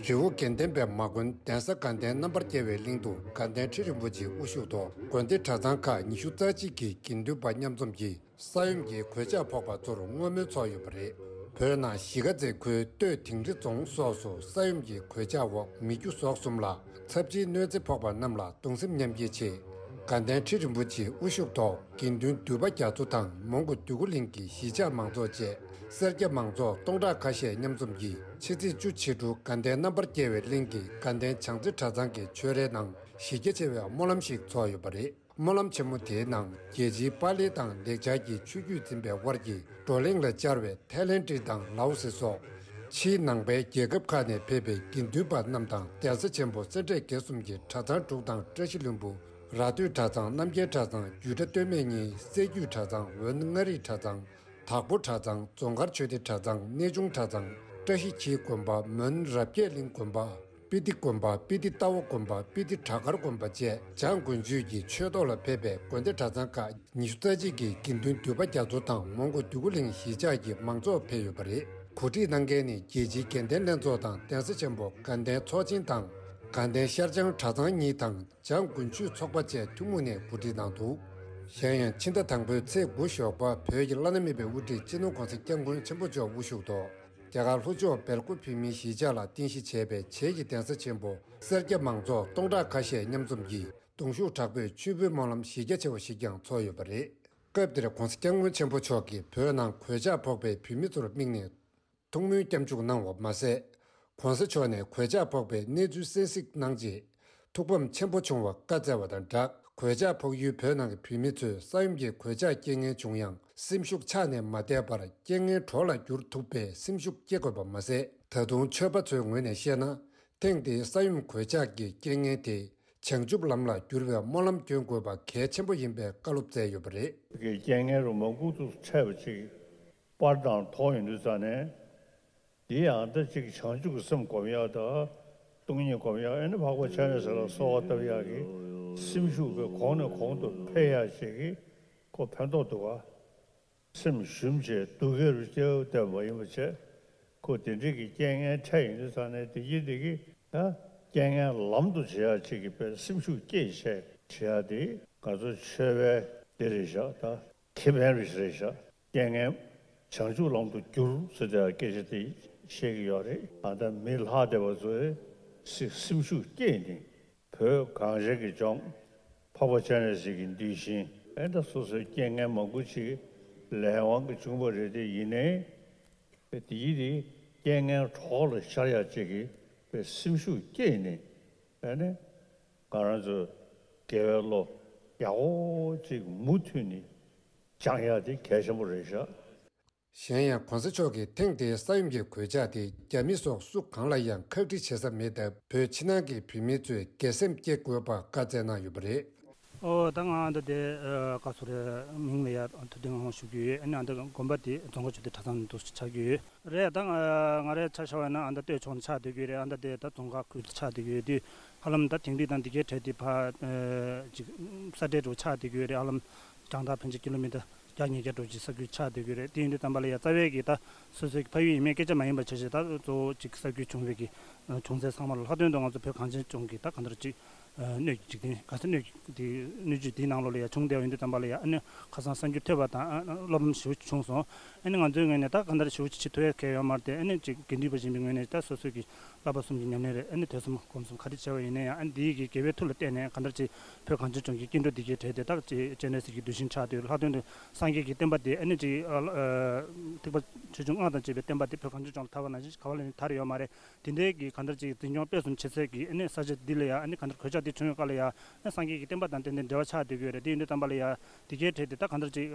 རི་བོ་དགེ་ལྡན་པའི་མ་དགོན་གདན་ས་དགའ་ལྡན་རྣམ་པར་རྒྱལ་བའི་གླིང་དུ་དགའ་ལྡན་ཁྲི་རིན་པོ་ཆེའི་དབུ་བཞུགས་ཐོག་དགོན་སྡེ་གྲྭ་ཚང་ཁག་ཉི་ཤུ་རྩ་གཅིག་གི་དགེ་འདུན་པ་མཉམ་འཛོམས་ཀྱིས་ས་ཡོམ་གྱི་གོད་ཆག་ཕོག་པ་ཚོར་བསྔོ་སྨོན་ཚོགས་ཡོད་པ་རེད། བོད་ནང་གཞིས་ཀ་རྩེ་ཁུལ་སྟོད་དིང་རི་རྫོང་སོགས་སུ་ས་ཡོམ་གྱི་གོད་ཆག་འོག་མི་རྒྱུ་ཟོག་གསུམ་ལ་ཚབས་ཆེའི་གནོད་འཚེ་ཕོག་པ་རྣམས་ལ་གདུང་སེམས་མཉམ་སྐྱེད་ཆེད། དགའ་ལྡན་ཁྲི་རིན་པོ་ཆེའི་དབུ་བཞུགས་ཐོག་དགེ་འདུན་འདུས་པ་རྒྱ་མཚོ་དང་མོན་གྷོ་འདོད་རྒུ་གླིང་གི་གཞིས་ཆགས་མང་ཚོགས་བཅས་སེར་སྐྱ་མང་ཚོགས་སྟོང་ཕྲག་ཁ་ཤས་མཉམ་འཛོམས་ཀྱིས་ཕྱི་ཚེས་བཅུ་ཕྱི་དྲོ་དགའ་ལྡན་རྣམ་པར་རྒྱལ་བའི་གླིང་གི་དགའ་ལྡན་བྱང་རྩེ་གྲྭ་ཚང་གི་ཆོས་རའི་ནང་གཞི་རྒྱ་ཆེ་བའི་སྨོན་ལམ་ཞིག་ཚོགས་ཡོད་པ་རེད། སྨོན་ལམ་ཆེན་མོ་དེའི་ནང་རྒྱལ་སྤྱིའི་པཱ་ལི་དང་ལེགས་སྦྱར་གྱི་ཆོས་བརྒྱུད་འཛིན་པའི་དབར་གྱི་བགྲོ་གླེང་ལ་བཅར་བའི་ཐའི་ལེན་ཌི་དང་ལའོ་སི་སོགས་ཕྱིའི་ནང་པའི་རྒྱལ་ཁབ་ཁག་ནས་ཕེབས་པའི་དགེ་འདུན་པ་རྣམས་དང་གདན་ས་ཆེན་པོ་སེ་འབྲས་དགེ་གསུམ་གྱི་གྲྭ་ཚང་དྲུག་དང་བཀྲ་ཤིས་ལྷུན་པོ། ར་སྟོད་གྲྭ་ཚང་། རྣམ་རྒྱལ་གྲྭ་ཚང་། རྒྱུད་གྲྭ་སྟོད་སྨད་གཉིས། སྲད་རྒྱུད་གྲྭ་ཚང་། འོན་མངའ་རིས་གྲྭ་ཚང་། དྭགས་པོ་གྲྭ་ཚང་། རྫོང་དཀར་ཆོས་སྡེ་གྲྭ་ཚང་། གནས་ཆུང་གྲྭ་ཚང་། བཀྲ་ཤིས་འཁྱིལ་དགོན་པ། མོན་རབ་རྒྱས་གླིང་དགོན་པ། སྤི་ཏི་དགོན་པ། སྤི་ཏི་རྟ་བོ་དགོན་པ། སྤི་ཏི་བྲག་དཀར་དགོན་པ་བཅས་འཇང་དགུན་ཆོས་ཀྱི་ཆོས་ཐོག་ལ་ཕེབས་པའི་དགོན་སྡེ་གྲྭ་ཚང་ཁག་ཉི་ཤུ་རྩ་གཅིག་གི་དགེ་འདུན་འདུས་པ་རྒྱ་མཚོ་དང་མོན་གྷོ་འདོད་རྒུ་གླིང་གཞིས་ཆགས་ཀྱི་མང་ཚོགས་ཕེབས་ཡོད་པ་རེད། གོ་སྒྲིག་གནང་མཁན་ནི་རྒྱལ་སྤྱིའི་དགེ་ལྡན་ལྷན་ཚོགས་དང་གདན་ས་ཆེན་པོ་དགའ་ལྡན་ཚོགས་ཆེན་དང་། དགའ་ལྡན་ཤར་བྱང་གྲྭ་ཚང་གཉིས་དང་། འཇང་དགུན་ཆོས་ཚོགས་པ་བཅས་ཐུན་མོང་ནས་གོ་སྒྲིག་གནང་འདུག་གཞན་ཡང་ཕྱི་ཟླ་དང་པོའི་ཚེས་དགུ་ཞོགས་པ་བོད་ཀྱི་བླ་ན་མེད་པའི་དབུ་ཁྲིད་སྤྱི་ནོར་༸གོང་ས་༸སྐྱབས་མགོན་ཆེན་པོ་མཆོག་དབུ་བཞུགས་ཐོག་རྒྱ་གར་ལྷོ་ཕྱོགས་སྦེལ་ཀོབ་བོད་མིའི་གཞིས་ཆགས་ལ་རྟེན་གཞི་བྱས་པའི་བྱེས་ཀྱི་གདན་ས་ཆེན་པོ་སེར་སྐྱ་མང་ཚོགས་སྟོང་ཕྲག་ཁ་ཤས་མཉམ་འཛོམས་ཀྱིས་གདུང་ཤུགས་དྲག་པོས་མཆོད་འབུལ་སྨོན་ལམ་གཞི་རྒྱ་ཆེ་བ་ཞིག་ཀྱང་ཚོགས་ཡོད་པ་རེད། སྐབས་དེར་༸གོང་ས་༸སྐྱབས་མགོན་ཆེན་པོ་མཆོག་གིས་བོད་ནང་གོད་ཆག་ཕོག་པའི་བོད་མི་ཚོར་དམིགས་ནས། ཐུགས་སྨོན་སྐྱབས་འཇུག་གནང་བ་མ་ཟད། ༸གོང་ས་མཆོག་ནས་གོད་ཆག་ཕོག་པའི་གནས་ཚུལ་གསན་གཟིགས་གནང་རྗེས། ཐུགས་ཕམ་ཆེན་པོ་བྱུང་བ་བཀའ་སྩལ་བ་དང་སྦྲགས། གོད་ཆག་ཕོག་ཡུལ་བོད་ནང་གི་བོད་མི་ཚོས་ས་ཡོམ་གྱི་གོད་ཆག་རྐྱེན་ངན་བྱུང་ཡང་སེམས་ཤུགས་ཆག་ནས་མ་བསྡད་པར་རྐྱེན་ངན་གྲོགས་ལ་བསྒྱུར་ཐུབ་པའི་སེམས་ཤུགས་སྐྱེ་དགོས་པ་མ་ཟད། ད་དུང་ཆོས་པ་ཚོའི་ངོས་ནས་བཤད་ན། ཐེངས་འདིའི་ས་ཡོམ་གོད་ཆག་གི་རྐྱེན་ངན་དེ་བྱང་ཆུབ་ལམ་ལ་བསྒྱུར་བའི་སྨོན་ལམ་སྐྱོན་དགོས་པ་གལ་ཆེན་པོ་ཡིན་པའི་བཀའ་སློབ་སྩལ་ཡོད་པ་རེད། གི་རྐྱེན་ངན་རུ་མ་ཁུག་ཏུ་འཕྲད་པ་ཅིག་པར་དང་མཐོང་ཡོང་དུས་ཙ་ནས། འདི་ཡང་ད་ཅིག་བྱང་ཆུབ་ཀྱི་སེམས་སྒོམ་ཡག་དང་། སྟོང་ཉིད་སྒོམ་ཡག་ཨེ་ནི་འཕགས་པ་སྤྱན་རས་གཟིགས་ལ་གསོལ་བ་བཏབ་ཡག་གི་སེམས་ཤུགས་པའི་གོང་ནས་གོང་དུ་འཕེལ་ཡག་ཅིག་གི་ཁོ་ཕན་ཐོགས་འདུག་ག་སེམས་ཞུམ་བྱས་སྡུག་སྐད་རུ་སྐྱེ་བ་བསྟན་པ་ཡིན་པ་བྱས། ཁོ་དེ་འདྲའི་གི་རྐྱེན་ངན་འཕྲད་ཡོང་དུས་ཙང་ནས་དེ་གྱིས་དེ་གིས་ད་རྐྱེན་ངན་ལམ་དུ་བྱེད་ཡག་ཅིག་གི་དཔེ་སེམས་ཤུགས་བསྐྱེད་བྱས་བྱེད་ཡག་དེ་ང་ཚོ་ཆོས་པའི་དེ་རེད་བཞག་ད་ཁེ་ཕན་རེད་བཞག་རྐྱེན་ངན་བྱང་ཆུབ་ལམ་དུ་བསྒྱུར་ཟེར་དེ་སྐད་ཆ་དེ་བཤད་ཀྱི་ཡོད་རེད། ད་ལྟ་མི་ལྷག་བསྡད་པ་ཚོས་སེམས་ཤུགས་བསྐྱེད་ནས། བོད་གངས་ཅན་གྱི་ལྗོངས་འཕགས་པ་སྤྱན་རས་གཟིགས་ཀྱི་གདུལ་ཞིང་། ཨེ་ད་སོ་སོའི་རྐྱེན་ངན་མང་པོ་ཅིག་ལས་དབང་གིས་བྱུང་བ་རེད་དེ། ཡིན་ནའི་དེ་ཡིས་དེ་རྐྱེན་ངན་གྲོགས་ལ་ཤར་ཡག་ཅིག་གི་དཔེ་སེམས་ཤུགས་བསྐྱེད་ནས། ཨེ་ནས་ང་རང་ཚོ་དགེ་བའི་བློ་ཡག་པོ་ཅིག་མུ་མཐུད་ནས་སྦྱང་ཡག་དེ་གལ་ཆེན་པོ་རེད་ཤག་གཞན་ཡང་གོང་ས་མཆོག་གིས་ཐེངས་འདིའི་ས་ཡོམ་གྱི་གོད་ཆག་དེ་རྒྱ་མི་སོགས་སུ་གང་ལ་ཡང་ཁག་དཀྲི་བྱེད་ས་མེད་སྟབས། བོད་ཕྱི་ནང་གི་བོད་མི་ཚོས་དགེ་སེམས་བསྐྱེད་དགོས་པ་བཀའ་སྩལ་གནང་ཡོད་པ་རེད། ཨོ་ད་ང་ད་དེ་ཨ་བཀའ་ཟུར་མིང་ལ་ཡ་ཐུབ་བསྟན་དབང་ཞུ་གི་ཡོད། ཨ་ནི་ཨ་ད་དགོན་པ་དེ་རྫོང་ཁ་ཆུ་དེ་གྲྭ་ཚང་འདུག་ཆགས་ཀྱི་ཡོད་རེད། ད་ང་ང་རའི་ཆ་བཞག་པ་ན་ཨ་ད་སྟོད་ཕྱོགས་ནས་ཆགས་བསྡད་ཀྱི་ཡོད་རེད། ཨ་ད་དེ་ད་རྫོང་ཁ་ཁུལ་དུ་ཆགས་བསྡད་ཀྱི་ཡོད་དུས་ཧ་ལམ་ད་དིང་རི་དང་འདི་གའི་གྲས་དེ་ཕར་ཨ་ཅིག་ས་འབྲེལ་འགྲོ་ཆགས་བསྡད་ཀྱི་ཡོད་རེད། ཧ་ལམ་རྒྱང་ཐག་ཕན་ཆད་ཀི་ལོ་མི་ཊར་བརྒྱ་ཉིས་བརྒྱ་འགྲོ་ཅིག་ས་ཁུལ་ཆགས་བསྡད་ཀྱི་རེད། དེ་ཡིན་དུས་ཙམ་པ་ལ་ཡ་རྩ་བའི་གི་ད་སོ་སོའི་གི་ཕ་ཡུལ་ཡིན་མིན་སྐད་ཆ་མ་ཡིན་པ་བྱས་བྱས་ད་གཙོ་བོ་ཅིག་ས་ཁུལ་བྱུང་བའི་གི་བྱུང་ཚད་ཚང་མ་ལ་ལྷག་དོན་དུ་ང་ཚོ་བོད་གངས་ཅན་ལྗོངས་ཀྱི་ད་གང་ལྟར་ཅིག་སྣོད་ཀྱི་འཇིག་རྟེན་ག་ས་སྣོད་ཀྱི་དེ་སྣོད་བཅུད་དེའི་ནང་ལོགས་ལ་ཡ་བྱུང་བསྡད་པ་ཡིན་དུས་ཙམ་པ་ལ་ཡ་ཨ་ནི་ཁ་སང་གསར་འགྱུར་ཐོས་པ་དང་ཨ་སློབ་ལམ་ཞེ་པོ་ཅིག་བྱུང་སོང་། ཨ་ནི་ང་ཚོའི་ངོས་ནས་ད་གང་ལྟར་ཞེ་པོ་ཅིག་བྱེད་ཐུབ་ཡ་གལ་ཡོད་མ་རེད་དེ། ཨ་ནི་ཅིག་དགེ་འདུན་པ་ཡིན་པའི་ངོས་ནས་ད་སོ་སོའི་གི་བསླབ་པ་གསུམ་གྱི་ཉམས་ལེན་རེད། ཨ་ནི་ཐོས་བསམ་སྒོམ་གསུམ་ག་རེ་བྱས་པ་ཡིན་ན་ཡང་ཨ་ནི་འདིའི་གི་དགེ་བའི་མཐུ་ལ་བརྟེན་ནས་གང་ལྟར་ཅིག་བོད་གངས་ཅན་ལྗོངས་ཀྱི་སྐྱེ་འགྲོ་འདི་གའི་གྲས་དེ་དག་ཅིག་སྤྱན་རས་གཟིགས་ཀྱི་གདུལ་ཞིང་ཆགས་དུས་ལྷག་དོན་དུ་སངས་རྒྱས་ཀྱི་བསྟན་པ་དེ་ཨ་ནི་ཅིག་ཨ་ཨ་ཐེག་པ་ཆེ་ཆུང་སྔགས་དང་བཅས་པའི་བསྟན་པ་དེ་བོད་གངས་ཅན་ལྗོངས་ལ་དར་བ་ནང་བཞིན་ག་བ་ལ་ནི་དར་ཡོད་མ་རེད། དེ་འདྲའི་གི་གང་ལྟར་ཅིག་འཛིན་སྐྱོང་སྤེལ་གསུམ་བྱེད་སའི་གི་ཨ་ནི་ས་ཆ་འདི་ལ་ཡ་ཨ་ནི་གང་ལྟར་གོད་ཆག་འདི་བྱུང་ཡོད་སྐབས་ལ་ཡ་ཨ་ནི་སངས་རྒྱས་ཀྱི་བསྟན་པ་དང་ཏན་ཏན་འབྲེལ་བ་ཆགས་བསྡད་ཀྱི་ཡོད་རེད། དེ་ཡིན་དུས་ཙམ་པ་ལ་ཡ་དེ་གའི་གྲས་དེ་ད་གང་ལྟར་ཅིག་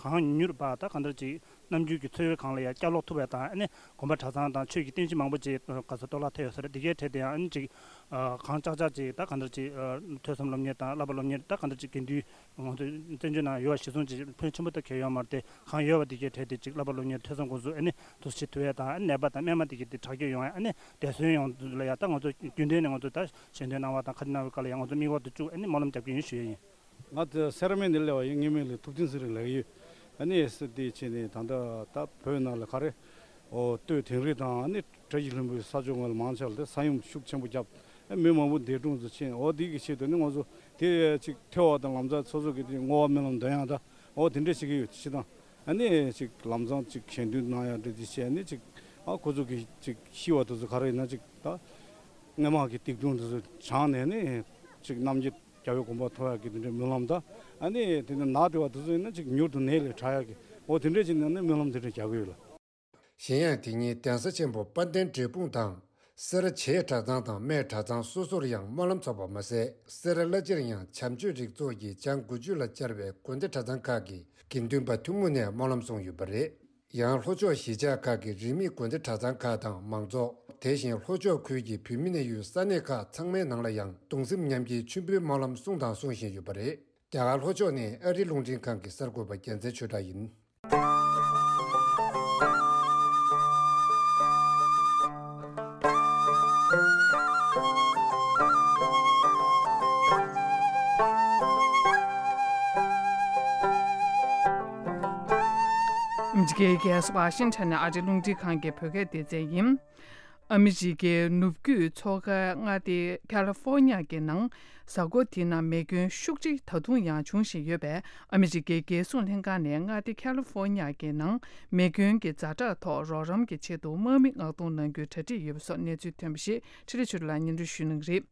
གང་མྱུར་བ་ད་གང་ལྟར་ཅིག་ནམ་རྒྱུན་གྱི་འཚོ་བའི་སྒང་ལ་ཡང་བསྐྱར་ལོག་ཐུབ་པ་དང་། ཨ་ནི་དགོན་པ་གྲྭ་ཚང་དང་ཆོས་ཀྱི་རྟེན་གཞི་མང་པོ་ཅིག་ག་ས་གཏོར་བརླག་ཐེབས་ཡོད་ས་རེད། འདི་གའི་གྲས་དེ་ཡང་ཨ་ནི་ཅིག་གང་ལྕགས་ལྕགས་ཅིག་ད་གང་ལྟར་ཅིག་ཐོས་བསམ་སློབ་གཉེར་དང་བསླབ་པ་སློབ་གཉེར་ད་གང་ལྟར་ཅིག་དགེ་འདུན་ང་ཚོ་བཙན་བྱོལ་ནང་ཡོད་པ་གཞི་བཟུང་ཅིག་ཕོན་ཆེན་པོ་ད་གལ་ཡོད་མ་རེད་དེ། གང་ཡོད་པ་འདི་གའི་གྲས་དེ་ཅིག་བསླབ་པ་སློབ་གཉེར་ཐོས་བསམ་སྒོམ་གསུམ་ཨ་ནི་འདུག་སེ་བྱེད་ཐུབ་ཡས་དང་། ཨ་ནི་ནད་པ་དང་རྨས་མ་འདི་གའི་དེ་དྲག་སྐྱེད་ཡོང་ཡས་ཨ་ནི་བདེ་གསོན་ཡོང་ལ་ཡ་ད་ང་ཚོ་རྒྱུན་ལྡན་ནས་ང་ཚོ་ད་ཞལ་འདོན་གནང་བ་དང་ཁ་ཆེ་གནང་བའི་སྐབས་ལ་ཡང་ང་ཚོ་དམིགས་བར་དུ་བཅུག་ཨ་ནི་སྨོན་ལམ་རྒྱབ་ཀྱི་ཡིན་ཞུ་ཡས་ཡིན། ང་ཚོ་སེ་ར་སྨད་ནས་སླེབས་པ་ཡིན། ངའི་མིང་ལ་ཐུབ་བསྟན་ཚེ་རིང་ལབ་ཀྱི་ཡོད། ཨ་ནི་ས་དེ་ཕྱིན་ནས་ད་ལྟ་ད་བོད་ནང་ལ་ག་རེ་ཨོ་སྟོད་དིང་རི་དང་ཨ་ནི་བཀྲ་ཤིས་ལྷུན་པོའི་ས་ཕྱོགས་ངོས་ལ་མང་ཆེ་བ་ལ་ས་ཡོམ་ཤུགས་ཆེན་པོ་བརྒྱབ། ཨ་མི་མང་པོ་འདས་གྲོངས་སུ་ཕྱིན། ཨོ་དེ་གི་ཆེད་དུ་ནི་ང་ཚོ་དེ་ཅིག་ཐོས་པ་དང་ལམ་སང་སོ་སོ་གི་དེ་བསྔོ་བ་སྨོན་ལམ་འདོན་ཡག་ད་ཨོ་དེ་འདྲ་བྱེད་ཀྱི་ཡོད། སྤྱིར་བཏང་ཨ་ནི་ཅིག་ལམ་སང་ཅིག་ཞལ་འདོན་གནང་ཡག་འདྲ་དེ་བྱས་ནས་ཅིག་ཨ་ཁོ་ཚོ་གི་ཅིག་ཤི་བ་དེ་ཚོ་ག་རེ་ཡིན་ན་ཅིག་ད་སྔོན་མ་གི་སྡིག་ལྟུང་དེ་ཚོ་བྱང་ནས་ནི་ཅིག་རྣམ་རྒྱལ་རྒྱལ་བའི་དགོངས་པ་ཐོབ་ཡག་གི་དེ་འདྲའི་སྨོན་ལམ་དང་། ཨ་ནི་དེ་ནས་ནག་དེ་བ་དེ་ཚོ་ཡིན་ན་ཅིག་མྱུར་དུ་ནད་ལས་དྲག་ཡག་གི་འོ་དེ་འདྲས་ཅིག་ནང་ནས་སྨོན་ལམ་དེ་འདྲས་རྒྱག་གི་ཡོད་ལ། གཞན་ཡང་དེ་ཉིན་གདན་ས་ཆེན་པོ་དཔལ་ལྡན་འབྲས་སྤུངས་དང་། སེ་ར་བྱེས་གྲྭ་ཚང་དང་སྨད་གྲྭ་ཚང་སོ་སོར་ཡང་སྨོན་ལམ་ཚོགས་པ་མ་ཟད། སེ་ར་བླ་སྤྱིར་ཡང་བྱམས་ཆོས་རིགས་ཚོགས་ཀྱི་བྱང་དགུ་བཅུ་ལ་བཅར་བའི་དགོན་སྡེ་གྲྭ་ཚང་ཁག་གི་དགེ་འདུན་པ་ཐུན་མོང་ནས་སྨོན་ལམ་གསུངས་ཡོད་པ་རེད། ཡང་ལྷོ་ཕྱོགས་གཞིས་ཆགས་ཁག་གི་རིས་མེད་དགོན་སྡེ་གྲྭ་ཚང་ཁག་དང་མང་ཚོགས། དེ་བཞིན་ལྷོ་ཕྱོགས་ཁུལ་གྱི་བོད་མི་གནས་ཡུལ་ས་གནས་ཁག་ཚང་མའི་ནང་ལ་ཡང་གདུང་སེམས་མཉམ་སྐྱེའི་མཆོད་འབུལ་སྨོན་ལམ་གསུངས་དང་གསུང་བཞིན་ཡོད་པ་རེད། རྒྱ་གར་ལྷོ་ཕྱོགས་ནས་ཨ་རིའི་རླུང་འཕྲིན་ཁང་གི་གསར་འགོད་པ་རྒྱལ་མཚན་ཆོས་གྲགས་ཡིན། ཨ་མི་རི་ཀའི་རྒྱལ་ས་ཝ་ཤིང་ཊོན་ནས་ཨ་རིའི་རླུང་འཕྲིན་ཁང་གི་བོད་སྐད་སྡེ་ཚན་ཡིན། ཨ་མི་རི་ཀའི་ནུབ་རྒྱུད་མཚོ་ཁའི་མངའ་སྡེ་ཁ་ལི་ཧྥོ་ནི་ཡ་གི་ནང་གཟའ་འཁོར་འདིའི་ནང་མེ་སྐྱོན་ཤུགས་ཆེ་ད་དུང་ཡང་འབྱུང་བཞིན་ཡོད་པས། ཨ་མི་རི་ཀའི་རྒྱལ་སྲུང་ལྷན་ཁང་ནས་མངའ་སྡེ་ཁ་ལི་ཧྥོ་ནི་ཡ་གི་ནང་མེ་སྐྱོན་གྱི་ཛ་དྲག་ཐོག་རོགས་རམ་གྱི་ཆེད་དུ་དམག་མི་མངགས་གཏོང་གནང་རྒྱུའི་གྲ་སྒྲིག་ཡོད་པ་སོགས་གནས་ཚུལ་ཐོན་པ་ཞིག་འཕྲིན་ལས་ཆོས་སྒྲོན་ལགས་སྙན་སྒྲོན་ཞུ་གནང་གི་རེད།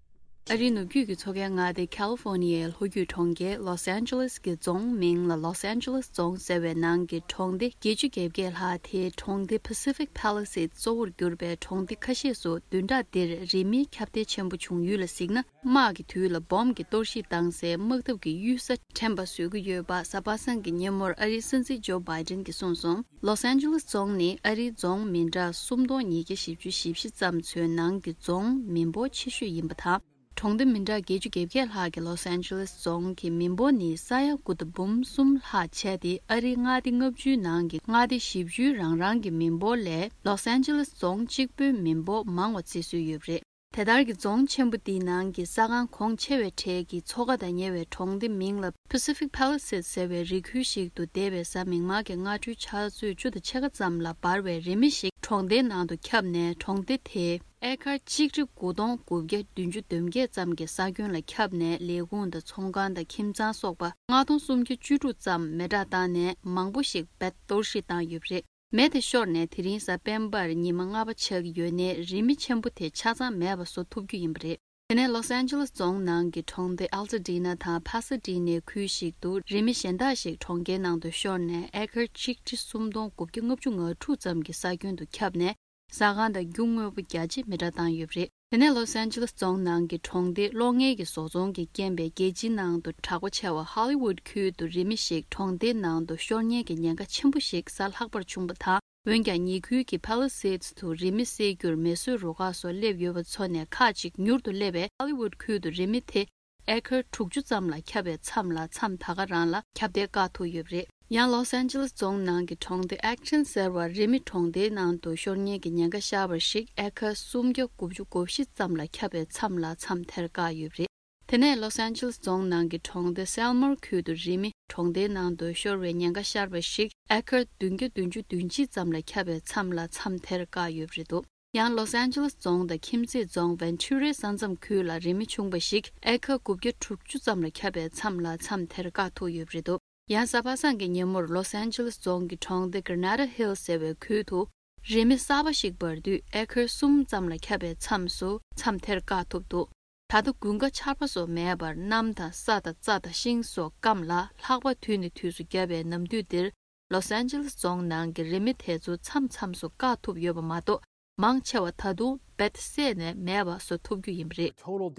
ཨ་རིའི་ནུབ་རྒྱུད་ཀྱི་མཚོ་ཁའི་མངའ་སྡེ་ཁ་ལི་ཧྥོ་ནི་ཡའི་ལྷོ་རྒྱུད་གྲོང་ཁྱེར་ལོས་ཨན་ཇེ་ལིས་ཀྱི་རྫོང་མིང་ལ་ལོས་ཨན་ཇེ་ལིས་རྫོང་ཟེར་བའི་ནང་གི་གྲོང་སྡེ་བརྒྱད་ཅུ་གྱ་བརྒྱད་ལྷག་དེའི་གྲོང་སྡེ་Pacific Palisades གཙོ་བོར་གྱུར་པའི་གྲོང་སྡེ་ཁ་ཤས་སུ་བདུན་ཕྲག་འདིར་རི་མེའི་ཁྱབ་གདལ་ཆེན་པོ་བྱུང་ཡུལ་ལ་གཟིགས་ན། དམག་གི་དུས་ལ་སྦོམ་གྱི་གཏོར་བཤིག་བཏང་སའི་དམག་འཐབ་ཀྱི་གཡུལ་ས་དྲན་པ་བཟོ་གི་ཡོད་པ་གཟའ་པ་སངས་ཀྱི་ཉིན་མོར་ཨ་རིའི་སྲིད་འཛིན་ཇོ་བྷའི་ཌེན་གྱིས་གསུངས་སོང་། ལོས་ཨན་ཇེ་ལིས་རྫོང་ནི་ཨ་རིའི་རྫོང་མི་འདྲ་སུམ་སྟོང་ཉིས་བརྒྱ་བཞི་བཅུ་ཞེ་བཞི་ཙམ་ཚོའི་ནང་གི་རྫོང་མི་འབོར་ཆེ་ཤོས་ཡིན་པ་དང་། གྲོང་སྡེ་མི་འདྲ་བརྒྱད་ཅུ་གྱ་བརྒྱད་ལྷག་གི་ལོས་ཨན་ཇེ་ལིས་རྫོང་གི་མི་འབོར་ནི་ས་ཡ་དགུ་དང་འབུམ་གསུམ་ལྷག་བྱས་ཏེ། ཨ་རིའི་མངའ་སྡེ་ལྔ་བཅུའི་ནང་གི་མངའ་སྡེ་བཞི་བཅུའི་རང་རང་གི་མི་འབོར་ལས་ལོས་ཨན་ཇེ་ལིས་རྫོང་གཅིག་པོའི་མི་འབོར་མང་བ་བརྩི་སྲོལ་ཡོད་པ་རེད། དེ་ལྟར་གྱི་རྫོང་ཆེན་པོ་འདིའི་ནང་གི་ས་ཁང་གོང་ཆེ་བའི་གྲས་ཀྱི་མཚོ་ཁ་དང་ཉེ་བའི་གྲོང་སྡེ་མིང་ལ་Pacific Palisades ཟེར་བའི་རི་ཁུལ་ཞིག་ཏུ་འདས་པའི་གཟའ་མིག་དམར་གྱི་སྔ་དྲོའི་ཆུ་ཚོད་བཅུ་དང་ཕྱེད་ཀ་ཙམ་ལ་འབར་བའི་རི་མེ་ཞིག་གྲོང་སྡེའི་ནང་དུ་ཁྱབ་ནས། གྲོང་སྡེ་དེའི་ཨེ་ཀར་ཆིག་ཁྲི་དགུ་སྟོང་དགུ་བརྒྱ་བདུན་ཅུ་དོན་བརྒྱད་ཙམ་གྱི་ས་ཁྱོན་ལ་ཁྱབ་ནས། ལས་ཁུངས་དང་ཚོང་ཁང་དང་ཁྱིམ་ཚང་སོགས་པ་ལྔ་སྟོང་སུམ་བརྒྱ་བཅུ་དྲུག་ཙམ་མེ་དྲག་བཏང་ནས། མང་པོ་ཞིག་རྦད་གཏོར་བཤིག་བཏང་ཡོད་པ་རེད། མེ་དེ་ཤོར་ནས་དེ་རིང་གཟའ་སྤེན་པར་ཉི་མ་ལྔ་པ་ཆགས་ཀྱི་ཡོད་ནའི། རི་མེ་ཆེན་པོ་དེ་ཆ་ཚང་མེད་པ་བཟོ་ཐུབ་རྒྱུ་ཡིན་པ་རེད། དེ་ནས་ལོས་ཨན་ཇེ་ལེས་རྫོང་ནང་གི་གྲོང་སྡེ་ཨལ་ཏ་ཌི་ན་དང་ཕ་སེ་ཌི་ནའི་ཁུལ་ཞིག་ཏུ་རི་མེ་གཞན་དག་ཞིག་གྲོང་ཁྱེར་ནང་དུ་ཤོར་ནས། ཨེ་ཀར་ཆིག་ཁྲི་སུམ་སྟོང་དགུ་བརྒྱ་ལྔ་བཅུ་ང་དྲུག་ཙམ་གྱི་ས་ཁྱོན་དུ་ཁྱབ་ནས། ཟ་ཁང་དང་རྒྱུ་དངོས་པོ་རྒྱ་ཆེ་མེ་དྲག་བཏང་ཡོད་པ་རེད། དེ་ནས་ལོས་ཨན་ཇེ་ལེས་རྫོང་ནང་གི་གྲོང་སྡེ་གློག་བརྙན་གྱི་བཟོ་ཚོང་གིས་རྐྱེན་པས་རྒྱལ་སྤྱིའི་ནང་དུ་གྲགས་པ་ཆེ་བ་ཧོ་ལི་ཝུད་ཁུལ་དུ་རི་མེ་ཞིག་གྲོང་སྡེའི་ནང་དུ་ཤོར་ཉེན་གྱི་ཉེན་ཁ་ཆེན་པོ་ཞིག་གཟའ་ལྷག་པར་བྱུང་བ་དང་། འོན་ཀྱང་ཉེ་ཁུལ་གྱི་Palisades དུ་རི་མེ་སེལ་རྒྱུར་མེ་གསོད་རུ་ཁག་སོགས་སླེབས་ཡོད་པ་ཚོ་ནས་ཁག་ཅིག་མྱུར་དུ་སླེབས་པས། ཧོ་ལི་ཝུད་ཁུལ་དུ་རི་མེ་དེ་ཨེ་ཀར་དྲུག་ཅུ་ཙམ་ལ་ཁྱབ་པའི་མཚམས་ལ། མཚམས་ད་ག་རང་ལ་ཁྱབ་གདལ་བཀག་ཐུབ་ཡོད་པ་རེད། ཡང་ལོས་ཨན་ཇེ་ལེས་རྫོང་ནང་གི་གྲོང་སྡེ་ཨེག་ཆན་ཟེར་བར་རི་མེ་གྲོང་སྡེའི་ནང་དུ་ཤོར་ཉེན་གྱི་ཉེན་ཁ་ཤར་བ་ཞིག་ཨེ་ཀར་སུམ་བརྒྱ་དགུ་བཅུ་གོ་བཞི་ཙམ་ལ་ཁྱབ་པའི་མཚམས་ལ་མཚམས་དེར་བཀག་ཡོད་པ་རེད། དེ་ནས་ལོས་ཨན་ཇེ་ལེས་རྫོང་ནང་གི་གྲོང་སྡེ་སེལ་མོར་ཁུལ་དུ་རི་མེ་གྲོང་སྡེའི་ནང་དུ་ཤོར་བའི་ཉེན་ཁ་ཤར་བ་ཞིག་ཨེ་ཀར་བདུན་བརྒྱ་བདུན་ཅུ་དོན་གཅིག་ཙམ་ལ་ཁྱབ་པའི་མཚམས་ལ་མཚམས་དེར་བཀག་ཡོད་པ་རེད་འདུག་ཡང་ལོས་ཨན་ཇེ་ལེས་རྫོང་དང་ཁྱིམ་མཚེས་རྫོང་ཝན་ཆུ་རའི་ས་མཚམས་ཁུལ་ལ་རི་མེ་བྱུང་བ་ཞིག་ཨེ་ཀར་དགུ་བརྒྱ་དྲུག་ཅུ་ཙམ་ལ་ཁྱབ་པའི་མཚམས་ལ་མཚམས་དེར་བཀག་ཐུབ་ཡོད་པ་རེད་འདུག་ཡང་གཟའ་པ་སངས་ཀྱི་ཉིན་མོར་ལོས་ཨན་ཇེ་ལེས་རྫོང་གི་གྲོང་སྡེ་གྷ་རེ་ན་ཌ་ཧིལ་ཟེར་བའི་ཁུལ་དུ་རི་མེ་གསར་པ་ཞིག་འབར་དུས་ཨེ་ཀར་གསུམ་ཙམ་ལ་ཁྱབ་པའི་མཚམས་སུ་མཚམས་དེར་བཀག་ཐུབ་འདུག་ད་ལྟ་དགུན་ཁ་ཆར་པ་སོགས་མེད་པར་གནམ་དང་ས་དང་རྩྭ་དང་ཤིང་སོགས་སྐམ་ལ། ལྷགས་པ་དུས་ནས་དུས་སུ་བརྒྱབ་པའི་ནམ་དུས་འདིར་ལོས་ཨན་ཇེ་ལེས་རྫོང་ནང་གི་རི་མེ་དེ་ཚོ་མཚམས་མཚམས་སུ་བཀག་ཐུབ་ཡོད་པ་མ་གཏོགས། མང་ཆེ་བ་ད་དུང་རྦད་བསད་ནས་མེད་པ་བཟོ་ཐུབ་རྒྱུ་ཡིན་པ་རེད།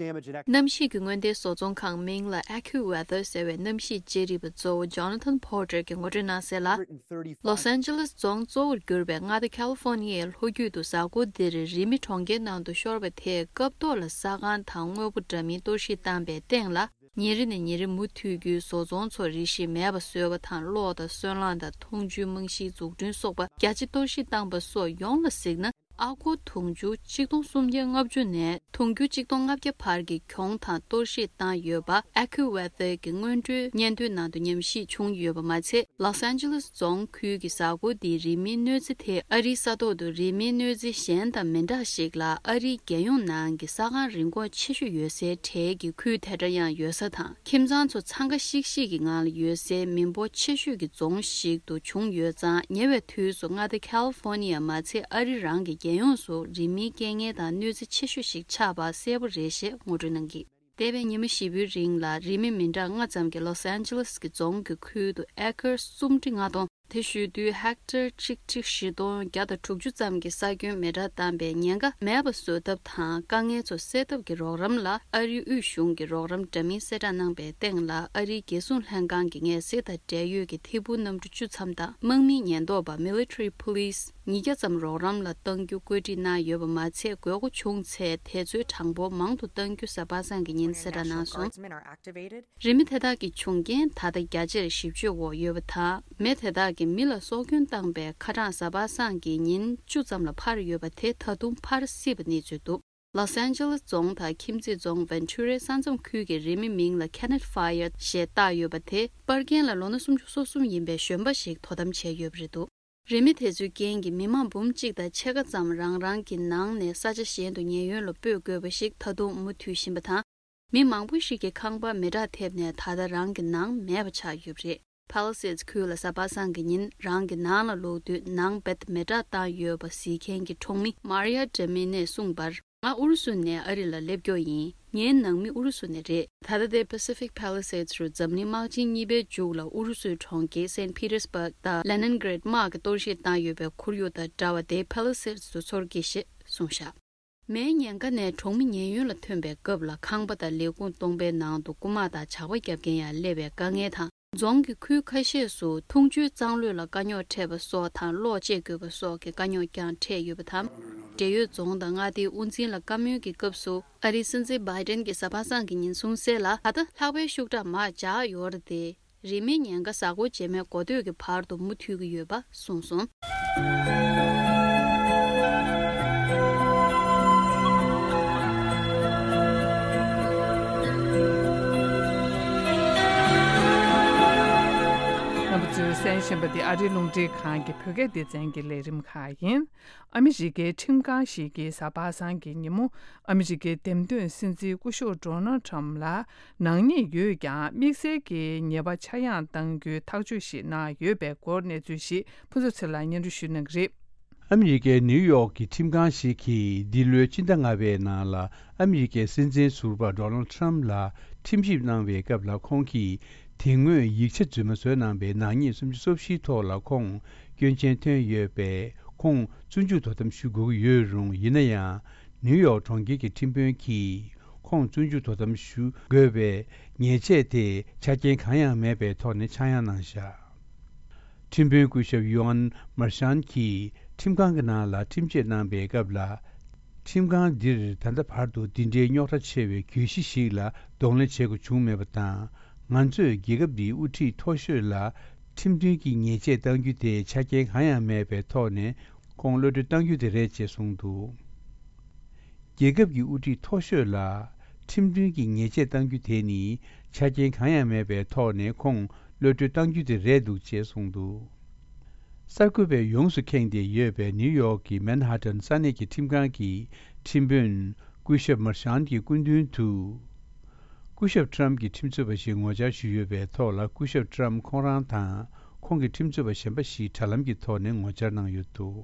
གནམ་གཤིས་ཀྱི་སྔོན་བརྡའི་བཟོ་ཚོང་ཁང་མིང་ལ་ཨེ་ཁུ་ཝེ་ཐར་ཟེར་བའི་གནམ་གཤིས་དཔྱད་རིག་པ་གཙོ་བོ་ཇོ་ན་ཐན་པོ་ཊར་གྱིས་ངོ་སྤྲོད་གནང་གསལ་ལ། ལོས་ཨན་ཇེ་ལེས་རྫོང་གཙོ་བོར་གྱུར་པའི་མངའ་སྡེ་ཁ་ལི་ཧྥོ་ནི་ཡའི་ལྷོ་རྒྱུད་དུ་གཟའ་འཁོར་འདིར་རི་མེ་གྲོང་ཁྱེར་ནང་དུ་ཤོར་བ་དེས་སྐབས་ཐོག་ལ་ས་ཁང་དང་དངོས་པོ་འདྲ་མིན་གཏོར་བཤིག་བཏང་པའི་སྟེང་ལ། ཉིན་རེ་ནས་ཉིན་རེ་མུ་མཐུད་རྒྱུའི་བཟོ་ཚོང་ཚོ་རེ་ཞིག་མེད་པ་བཟོས་པ་དང་། གློག་དང་སོལ་རླངས་དང་འཐུང་ཆུའི་རྨང་གཞིའི་འཛུགས་སྐྲུན་སོགས་པ་རྒྱ་ཆེ་གཏོར་བཤིག་བཏང་པ་སོགས་ཡོངས་ལ་གཟིགས་ན། ཨ་སྒོར་དུང་ཕྱུར་ཆིག་སྟོང་སུམ་བརྒྱ་ལྔ་བཅུ་ནས་དུང་ཕྱུར་ཆིག་སྟོང་ལྔ་བརྒྱ་བར་གྱི་གྱོང་དང་གཏོར་བཤིག་བཏང་ཡོད་པ་ཨེ་ཁུ་ཝེ་ཐར་གྱི་སྔོན་འགྲོའི་སྙན་ཐོའི་ནང་དུ་ཉམས་ཞིབ་བྱུང་ཡོད་པ་མ་ཚད། ལོས་ཨན་ཇེ་ལེས་རྫོང་ཁུལ་གྱི་གཟའ་འཁོར་འདིའི་རི་མེའི་གནོད་འཚེ་དེ་ཨ་རིའི་ས་ཐོག་ཏུ་རི་མེའི་གནོད་འཚེ་གཞན་དང་མི་འདྲ་ཞིག་ལ། ཨ་རིའི་རྒྱལ་ཡོངས་ནང་གི་ས་ཁང་རིན་གོང་ཆེ་ཤོས་ཡོད་སའི་གྲས་ཀྱི་ཁུལ་དེ་འདྲ་ཡང་ཡོད་ས་དང་། ཁྱིམ་ཚང་ཚོ་འཚང་ཁ་ཤིག་ཤིག་གི་ངང་ལ་ཡོད་སའི་མི་འབོར་ཆེ་ཤོས་ཀྱི་རྫོང་ཞིག་ཏུ་བྱུང་ཡོད་ཙང་། ཉེ་བའི་དུས་སུ་མངའ་སྡེ་ཁ་ལི་ཧྥོ་ནི་ཡ་མ་ཚད་ཨ་རི་རང་གི་རྒྱལ་ཡོངས་སུ་རི་མེའི་རྐྱེན་ངན་དང་གནོད་འཚེ་ཆེ་ཤོས་ཤིག་ཆགས་པ་གསལ་པོ་རེད་ཞེས་ངོ་སྤྲོད་གནང་གིས། འདས་པའི་ཉི་མ་བཞི་པོའི་རིང་ལ་རི་མེ་མི་འདྲ་ལྔ་ཙམ་གྱིས་ལོས་ཨན་ཇེ་ལེས་ཀྱི་རྫོང་གི་ཁུལ་དུ་ཨེ་ཀར་སུམ་ཁྲི་ལྔ་སྟོང་། དེ་ཞུ་དུས་ཧེག་ཊར་ཆིག་ཁྲི་བཞི་སྟོང་བརྒྱ་དང་དྲུག་ཅུ་ཙམ་གྱི་ས་ཁྱོན་མེ་དྲག་བཏང་པའི་ཉེན་ཁ་མེད་པ་བཟོ་ཐབས་དང་། དཀའ་ངལ་ཚོ་སེལ་ཐབས་ཀྱི་རོགས་རམ་ལ་ཨ་རིའི་དབུས་གཞུང་གིས་རོགས་རམ་འདྲ་མིན་གསལ་བསྒྲགས་གནང་པའི་སྟེང་ལ། ཨ་རིའི་རྒྱལ་སྲུང་ལྷན་ཁང་གི་ངལ་སེལ་དང་འབྲེལ་ཡོད་ཀྱི་ཐད་འཕུར་གནམ་གྲུ་བཅུ་ཙམ་དང་། དམག་མིའི་ཉེན་རྟོག་པ་Military Police ཉིས་བརྒྱ་ཙམ་རོགས་རམ་ལ་གཏང་རྒྱུ་བཀོད་སྒྲིག་གནང་ཡོད་པ་མ་ཚད། དགོས་མཁོ་བྱུང་ཚེ་དེ་ཚོའི་གྲངས་འབོར་མང་དུ་གཏང་རྒྱུ་གཟའ་པ་སངས་ཀྱི་ཉིན་གསལ་བསྒྲགས་གནང་སོང་། རི་མེ་དེ་དག་གི་བྱུང་རྐྱེན་ད་ལྟ་རྒྱ་ཆེར་ཞིབ་དཔྱོད་འོག་ཡོད་པ་དང་། མེ་དེ་དག་གིས་མི་ལ་སྲོག་སྐྱོན་བཏང་པའི་ཁ་གྲངས་གཟའ་པ་སངས་ཀྱི་ཉིན་བཅུ་ཙམ་ལ་འཕར་ཡོད་པ་དེ་ད་དུང་འཕར་སྲིད་པ་གནས་ཚུལ་འདུག་ལོས་ཨན་ཇེ་ལེས་རྫོང་དང་ཁྱིམ་མཚེས་རྫོང་ཝན་ཆུ་རའི་ས་མཚམས་ཁུལ་གྱི་རི་མེ་མིང་ལ་Kenneth Fire ཞེས་བཏགས་ཡོད་པ་དེ། པར་རྒྱན་ལ་ལོ་ན་སུམ་ཅུ་སོ་གསུམ་ཡིན་པའི་གཞོན་པ་ཞིག་དོ་དམ་བྱས་ཡོད་པ་རེད་འདུག་རི་མེ་དེ་ཚོའི་རྐྱེན་གྱིས་མི་མང་འབུམ་གཅིག་དང་ཕྱེད་ཀ་ཙམ་རང་རང་གི་ནང་ནས་ས་ཆ་གཞན་དུ་ཉེན་གཡོལ་ལ་སྤོས་དགོས་པ་ཞིག་ད་དུང་མུ་མཐུད་བཞིན་པ་དང་། མི་མང་པོ་ཞིག་གི་ཁང་པ་མེ་དྲག་ཐེབས་ནས་ད་ལྟ་རང་གི་ནང་མེད་པ་ཆགས་ཡོད་པ་རེད། Palisades ཁུལ་ལ་གཟའ་པ་སངས་ཀྱི་ཉིན་རང་གི་ནང་ལ་ལོག་དུས་ནང་རྦད་མེ་དྲག་བཏང་ཡོད་པ་གཟིགས་མཁན་གྱི་གྲོང་མི་Maria Demine གསུངས་པར། ང་ཨུ་རུ་སུ་ནས་ཨ་རི་ལ་སླེབས་མགྱོགས་ཡིན། ངའི་ནང་མི་ཨུ་རུ་སུ་ནས་རེད། ད་ལྟ་དེ་Pacific Palisades རུ་འཛམ་གླིང་དམག་ཆེན་གཉིས་པའི་མཇུག་ལ་ཨུ་རུ་སུའི་གྲོང་ཁྱེར་Saint Petersburg དང་Leningrad དམག་གིས་གཏོར་བཤིག་བཏང་ཡོད་པའི་ཁོར་ཡུག་དང་འདྲ་བ་དེ་Palisades དུ་ཚོར་གྱི་ཞེས་གསུངས་བཞག་མེའི་ཉེན་ཁ་ནས་གྲོང་མི་ཉེན་གཡོལ་ལ་ཐོན་པའི་སྐབས་ལ། ཁང་པ་དང་ལས་ཁུངས་སྟོང་པའི་ནང་དུ་རྐུ་མ་དང་ཇག་པ་རྒྱབ་མཁན་ཡང་སླེབས་པའི་དཀའ་ངལ་དང་། རྫོང་གི་ཁུལ་ཁ་ཤས་སུ་འཐུང་ཆུའི་གཙང་གློད་ལ་དཀའ་རྙོག་འཕྲད་པ་སོགས་དང་། གློག་བཅད་དགོས་པ་སོགས་ཀྱི་དཀའ་རྙོག་ཀྱང་འཕྲད་ཡོད་པ་དང་། འབྲེལ་ཡོད་རྫོང་དང་མངའ་སྡེའི་དབུ་འཛིན་ལ་བཀའ་མོལ་གྱི་སྐབས་སུ། ཨ་རིའི་སྲིད་འཛིན་Biden གྱིས་གཟའ་པ་སངས་ཀྱི་ཉིན་གསུངས་གསལ་ལ། ད་ལྟ་ལྷགས་པའི་ཤུགས་དྲག་མར་འཇགས་ཡོད་རེད་དེ། རི་མེའི་ཉེན་ཁ་གཟའ་འཁོར་རྗེས་མའི་འགོ་སྟོད་ཀྱི་བར་དུ་མུ་མཐུད་ཀྱི་ཡོད་པ་གསུངས་སོང་། གསན་པ་འདི་ཨ་རིའི་རླུང་འཕྲིན་ཁང་གི་བོད་སྐད་སྡེ་ཚན་གྱི་ལས་རིམ་ཁག་ཡིན། ཨ་མི་རི་ཀའི་ཁྲིམས་ཁང་ཞིག་གིས་གཟའ་པ་སངས་ཀྱི་ཉིན་མོ། ཨ་མི་རི་ཀའི་འདེམས་ཐོན་སྲིད་འཛིན་སྐུ་ཞབས་ཌོ་ནལ་ཁྲམ་ལ་ནག་ཉེས་ཡོད་ཀྱང་། དམིགས་བསལ་གྱི་ཉེས་པ་ཆག་ཡང་གཏང་རྒྱུའི་ཐག་གཅོད་ཞིག་གནང་ཡོད་པའི་སྐོར་གནས་ཚུལ་ཞིག་ཕུན་ཚོགས་ཚེ་ལགས་སྙན་སྒྲོན་ཞུ་གནང་གི་རེད། ཨ་མི་རི་ཀའི་ནིའུ་ཡོག་གི་ཁྲིམས་ཁང་ཞིག་གིས་འདི་ལོའི་སྤྱི་ཟླ་ལྔ་པའི་ནང་ལ་ཨ་མི་རི་ཀའི་སྲིད་འཛིན་ཟུར་པ་ཌོ་ནལ་ཁྲམ་ལ་ཁྲིམས་ཞིབ་གནང་བའི་སྐབས་ལ། ཁོང་གིས་དེ་སྔོན་ཡིག་ཆ་རྫུན་མ་བཟོས་གནང་པའི་ནག་ཉེས་སུམ་ཅུ་སོ་བཞིའི་ཐོག་ལ་ཁོང་སྐྱོན་ཅན་ཐོན་ཡོད་པས། ཁོང་བཙོན་འཇུག་དོ་དམ་ཞུ་དགོས་ཀྱི་ཡོད་རུང་། ཡིན་ན་ཡང་ནིའུ་ཡོག་གྲོང་ཁྱེར་གྱི་ཁྲིམས་དཔོན་གྱིས་ཁོང་བཙོན་འཇུག་དོ་དམ་ཞུ་དགོས་པའི་ཉེས་ཆད་དེ་ཆ་རྐྱེན་གང་ཡང་མེད་པའི་ཐོག་ནས་ཆག་ཡང་གནང་བཞག་ཁྲིམས་དཔོན་སྐུ་ཞབས་ཡུའན་མར་ཤན་གྱིས་ཁྲིམས་ཁང་གི་ནང་ལ་ཁྲིམས་བཅད་གནང་པའི་སྐབས་ལ། ཁྲིམས་ཁང་འདིར་ད་ལྟ་བར་དུ་འདི་འདྲའི་རྙོག་དྲ་ཆེ་བའི་གྱོད་གཞི་ཞིག་ལ་གདོང་ལེན་བྱེད་དགོས་བྱུང་མེད་པ་དང་། ང་ཚོས་རྒྱལ་ཁབ་འདིའི་དབུ་ཁྲིད་མཐོ་ཤོས་ལ་ཁྲིམས་མཐུན་གྱི་ཉེས་ཆད་གཏང་རྒྱུ་དེ་ཆ་རྐྱེན་གང་ཡང་མེད་པའི་ཐོག་ནས་ཁོང་གློད་གྲོལ་གཏང་རྒྱུ་དེ་རེད་ཅེས་གསུངས་འདུག་རྒྱལ་ཁབ་ཀྱི་དབུ་ཁྲིད་མཐོ་ཤོས་ལ་ཁྲིམས་མཐུན་གྱི་ཉེས་ཆད་གཏང་རྒྱུ་དེ་ནི་ཆ་རྐྱེན་གང་ཡང་མེད་པའི་ཐོག་ནས་ཁོང་གློད་གྲོལ་གཏང་རྒྱུ་དེ་རེད་འདུག་ཅེས་གསུངས་འདུག་གསར་འགོད་པས་ཡོངས་སུ་ཁེངས་ཏེ་ཡོད་པའི་ནིའུ་ཡོག་གི་མན་ཧ་ཏན་ས་གནས་ཀྱི་ཁྲིམས་ཁང་གི་ཁྲིམས་དཔོན་སྐུ་ཞབས་མར་ཤན་གྱི་སྐུ་མདུན་དུ། སྐུ་ཞབས་ཁྲམ་གྱི་ཁྲིམས་རྩོད་པ་ཞིག་ངོ་བཅར་ཞུས་ཡོད་པའི་ཐོག་ལ། སྐུ་ཞབས་ཁྲམ་ཁོང་རང་དང་ཁོང་གི་ཁྲིམས་རྩོད་པ་གཞན་པ་ཞིག་དྲ་ལམ་གྱི་ཐོག་ནས་ངོ་བཅར་གནང་ཡོད་འདུག་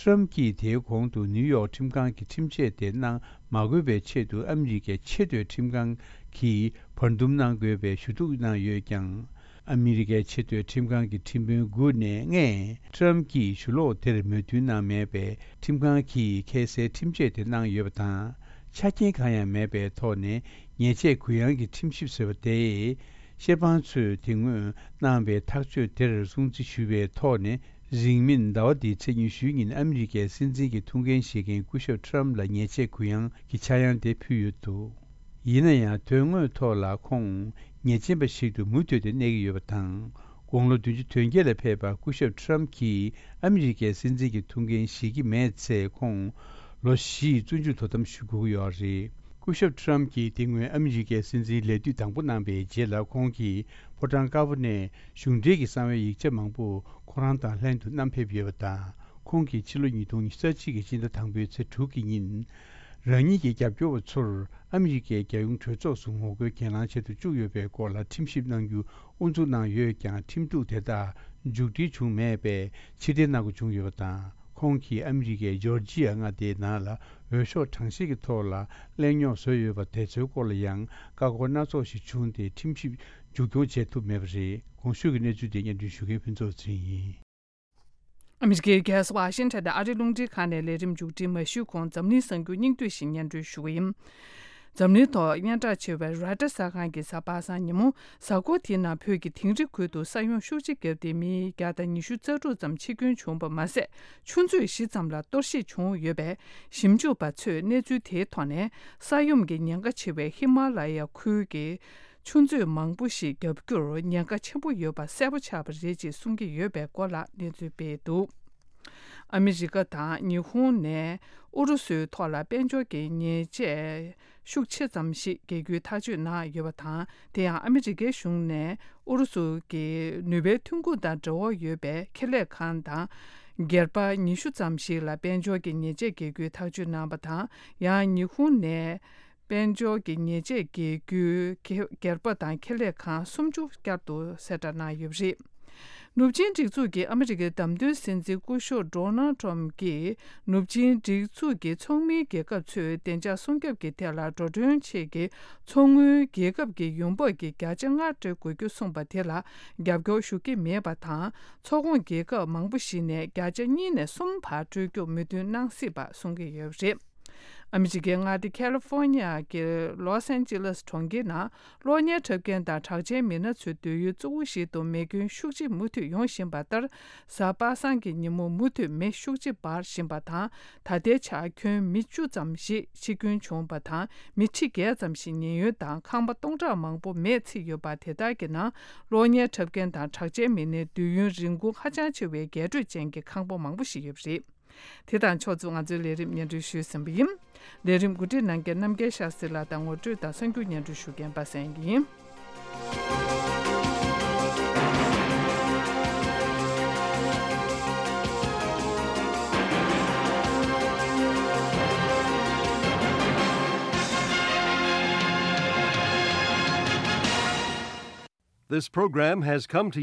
ཁྲམ་གྱིས་དེའི་གོང་དུ་ནིའུ་ཡོག་ཁྲིམས་ཁང་གི་ཁྲིམས་ཆད་དེ་གནང་མ་དགོས་པའི་ཆེད་དུ། ཨ་མི་རི་ཀའི་ཆེས་མཐོའི་ཁྲིམས་ཁང་གིས་བར་འདུམ་གནང་དགོས་པའི་ཞུ་གཏུག་གནང་ཡོད་ཀྱང་། ཨ་མི་རི་ཀའི་ཆེས་མཐོའི་ཁྲིམས་ཁང་གི་ཁྲིམས་དཔོན་དགུ་ནས་ལྔས་ཁྲམ་གྱིས་ཞུ་ལོག་དེར་མོས་མཐུན་གནང་མེད་པས། ཁྲིམས་ཁང་གིས་ཁ་སའི་ཁྲིམས་ཆད་དེ་གནང་ཡོད་པ་དང་། ཆ་རྐྱེན་གང་ཡང་མེད་པའི་ཐོག་ནས་ཉེས་ཆད་གུ་ཡངས་ཀྱི་ཁྲིམས་ཞིབ་ཟེར་བ་དེས། བཤེར་དཔང་ཚོས་དེ་སྔོན་གནང་བའི་ཐག་གཅོད་དེར་སྲུང་བརྩི་ཞུ་བའི་ཐོག་ནས། རིང་མིན་ཟླ་བ་འདིའི་ཚེས་ཉི་ཤུའི་ཉིན་ཨ་མི་རི་ཀའི་སྲིད་འཛིན་གྱི་ཐུགས་འགན་བཞེས་མཁན་སྐུ་ཞབས་ཁྲམ་ལ་ཉེས་ཆད་གུ་ཡངས་ཀྱི་ཆག་ཡང་དེ་ཕུལ་ཡོད་འདུག་ཡིན་ན་ཡང་དོན་དངོས་ཐོག་ལ་ཁོང་ཉེས་ཅན་པ་ཞིག་ཏུ་མུ་མཐུད་དེ་གནས་ཀྱི་ཡོད་པ་དང་། དགུང་ལོ་བདུན་ཅུ་དོན་བརྒྱད་ལ་ཕེབས་པ་སྐུ་ཞབས་ཁྲམ་གྱིས་ཨ་མི་རི་ཀའི་སྲིད་འཛིན་གྱི་ཐུགས་འགན་བཞེས་ཀྱི་མེད་ཚེ། ཁོང་ལོ་བཞི་བཙོན་འཇུག་དོ་དམ་ཞུ་དགོས་ཀྱི་ཡོད་རེད། སྐུ་ཞབས་ཁྲམ་གྱིས་དེ་སྔོན་ཨ་མི་རི་ཀའི་སྲིད་འཛིན་ལས་དུས་དང་པོ་གནང་པའི་རྗེས་ལ། ཁོང་གིས་ཕོ་བྲང་དཀར་པོ་ནས་གཞུང་འབྲེལ་གྱི་གསང་བའི་ཡིག་ཆ་མང་པོ་ཁོ་རང་དང་ལྷན་དུ་བསྣམས་ཕེབས་ཡོད་པ་དང་། ཁོང་གིས་ཕྱི་ལོ་ཉིས་སྟོང་ཉི་ཤུ་རྩ་གཅིག་གི་སྤྱི་ཟླ་དང་པོའི་ཚེས་དྲུག་གི་ཉིན། རང་ཉིད་ཀྱི་རྒྱབ་སྐྱོར་བ་ཚོར་ཨ་མི་རི་ཀའི་རྒྱལ་ཡོངས་གྲོས་ཚོགས་སུ་ངོ་རྒོལ་གྱེན་ལངས་བྱེད་དུ་བཅུག་ཡོད་པའི་སྐོར་ལ་ཁྲིམས་ཞིབ་གནང་རྒྱུ་དབུ་འཛུགས་གནང་ཡོད་ཀྱང་། ཁྲིམས་གཏུག་དེ་དག་མཇུག་སྒྲིལ་བྱུང་མེད་པས་ཕྱིར་འཐེན་གནང་དགོས་བྱུང་ཡོད་པ་དང་། ཁོང་གིས་ཨ་མི་རི་ཀའི་ཇོར་ཇི་ཡ་མངའ་སྡེའི་ནང་ལ་འོས་ཤོག་གྲངས་བཤེར་གྱི་ཐོག་ལ་གླེང་རྙོག་བཟོས་ཡོད་པ་དེ་ཚོའི་སྐོར་ལ་ཡང་བཀའ་བཀོད་སྣ་ཚོགས་ཤིག་བྱུང་སྟེ། ཁྲིམས་ཞིབ་མཇུག་སྐྱོང་བྱེད་ཐུབ་མེད་པ་རེད། གོང་ཞུས་ཀྱི་གནས་ཚུལ་དེ་སྙན་སྒྲོན་ཞུ་མཁན་ཕུན་ཚོགས་ཚེ་རིང་ཡིན། ཨ་མི་རི་ཀའི་རྒྱལ་ས་ཝ་ཤིང་ཊོན་དུ་ཨ་རིའི་རླུང་འཕྲིན་ཁང་ནས་ལས་རིམ་མཇུག་སྒྲིལ་མ་ཞུས་གོང་། འཛམ་གླིང་གསར་འགྱུར་སྙིང་བསྡུས་ཤིག་སྙན་སྒྲོན་ཞུ་གི་ཡིན། འཛམ་གླིང་ཐོག་སྙན་གྲགས་ཆེ་བའི་རོའི་ཊར་གསར་ཁང་གིས་གཟའ་པ་སངས་ཉིན་མོ། གཟའ་འཁོར་དེའི་ནང་བོད་ཀྱི་དིང་རི་ཁུལ་དུ་ས་ཡོམ་ཤུགས་ཆེ་བརྒྱབ་སྟེ། མི་བརྒྱ་དང་ཉི་ཤུ་རྩ་དྲུག་ཙམ་འཆི་སྐྱོན་བྱུང་བ་མ་ཟད། ཆུ་མཛོད་བཞི་ཙམ་ལ་གཏོར་བཤིག་བྱུང་ཡོད་པས། ཞིབ་འཇུག་པ་ཚོས་གནས་ཚུལ་དེའི་ཐོག་ནས། ས་ཡོམ་གྱི་ཉེན་ཁ་ཆེ་བའི་ཧི་མ་ལ་ཡ་ཁུལ་གྱི་ཆུ་མཛོད་མང་པོ་ཞིག་བརྒྱབ་རྒྱུར་ཉེན་ཁ་ཆེན་པོ་ཡོད་པ་གསལ་པོ་ཆགས་པ་རེད་ཅེས་གསུང་གི་ཡོད་པའི་སྐོར་ལ་གནས་ཚུལ་སྤེལ་འདུག་ཨ་མི་རི་ཀ་དང་ཉི་ཧོང་ནས་ཨུ་རུ་སུའི་ཐོག་ལ་དཔལ་འབྱོར་གྱི་ཉེས་ཆད་ཤུགས་ཆེ་ཙམ་ཞིག་འགེལ་རྒྱུའི་ཐག་གཅོད་གནང་ཡོད་པ་དང་། དེ་ཡང་ཨ་མི་རི་ཀའི་གཞུང་ནས་ཨུ་རུ་སུ་གྱི་ནུས་པའི་ཐོན་ཁུངས་དང་འབྲེལ་བ་ཡོད་པའི་ཁེ་ལས་ཁང་དང་སྒེར་པ་ཉི་ཤུ་ཙམ་ཞིག་ལ་དཔལ་འབྱོར་གྱི་ཉེས་ཆད་འགེལ་རྒྱུའི་ཐག་གཅོད་གནང་བ་དང་། ཡང་ཉི་ཧོང་ནས། དཔལ་འབྱོར་གྱི་ཉེས་ཆད་འགེལ་རྒྱུའི་སྒེར་པ་དང་ཁེ་ལས་ཁང་སུམ་ཅུ་བསྐྱར་དུ་གསལ་བསྒྲགས་གནང་ཡོད་པ་རེད། ནུབ་ཆིངས་སྒྲིག་འཛུགས་ཀྱི་ཨ་མི་རི་ཀའི་བདམས་ཐོན་སྲིད་འཛིན་སྐུ་ཞབས་ཌོ་ནལ་ཊམ་གྱིས། ནུབ་ཆིངས་སྒྲིག་འཛུགས་ཀྱི་ཚོགས་མིའི་རྒྱལ་ཁབ་ཚོས་བདེ་འཇགས་སྲུང་སྐྱོབ་ཀྱི་ཐད་ལ་འགྲོ་གྲོན་ཆེད་ཀྱི་ཚོགས་དངུལ་རྒྱལ་ཁབ་ཀྱི་ཡོང་འབབ་ཀྱི་བརྒྱ་ཆ་ལྔ་སྤྲོད་དགོས་རྒྱུ་གསུངས་པ་དེ་ལ་རྒྱབ་སྐྱོར་ཞུ་གི་མེད་པ་དང་། ཚོགས་ཁོངས་རྒྱལ་ཁབ་མང་པོ་ཞིག་ནས་བརྒྱ་ཆ་གཉིས་ནས་གསུམ་བར་སྤྲོད་རྒྱུར་མོས་མཐུན་གནང་སྲིད་པ་གསུང་གི་ཡོད་པ་རེད། ཨ་མི་རི་ཀའི་མངའ་སྡེ་ཁ་ལི་ཧྥོ་ནི་ཡ་གི་ལོས་ཨན་ཇི་ལེས་གྲོང་ཁྱེར་ནང་གློག་བརྙན་འཁྲབ་མཁན་དང་གྲགས་ཅན་མི་སྣ་ཚོའི་སྡོད་ཡུལ་གཙོ་བོ་ཞིག་ཏུ་མེ་སྐྱོན་ཤུགས་ཆེ་མུ་མཐུད་ཡོང་བཞིན་པ་ལྟར། གཟའ་པ་སངས་ཀྱི་ཉིན་མོ་མུ་མཐུད་མེ་ཤུགས་ཆེ་འབར་བཞིན་པ་དང་། ད་ལྟའི་ཆར་ཁྱོན་མི་བཅུ་ཙམ་ཞིག་འཆི་སྐྱོན་བྱུང་བ་དང་། མི་ཁྲི་བརྒྱད་ཙམ་ཞིག་ཉེན་གཡོལ་དང་ཁང་པ་སྟོང་ཕྲག་མང་པོ་མེས་ཚིག་ཡོད་པ་དེ་དག་གི་ནང་གློག་བརྙན་འཁྲབ་མཁན་དང་གྲགས་ཅན་མི་སྣའི་སྡོད་ཡུལ་རིན་གོང་ཧ་ཅང་ཆེ་བའི་རྒྱས་སྤྲོས་ཅན་གྱི་ཁང་པ་མང་པོ་ཞིག་ཡོད་པ་རེད། དེ་དང་ཕྱོགས་མཚུངས་ང་ཚོའི་ལས་རིམ་སྙན་སྒྲོན་ཞུས་ཟིན་པ་ཡིན། ལས་རིམ་གོ་སྒྲིག་གནང་མཁན་རྣམ་རྒྱལ་ཤཱ་སྟྲི་ལགས་དང་ངོ་སྤྲོད་དང་གསར་འགྱུར་སྙན་སྒྲོན་ཞུ་མཁན་པ་སངས་ཡིན། This program has come to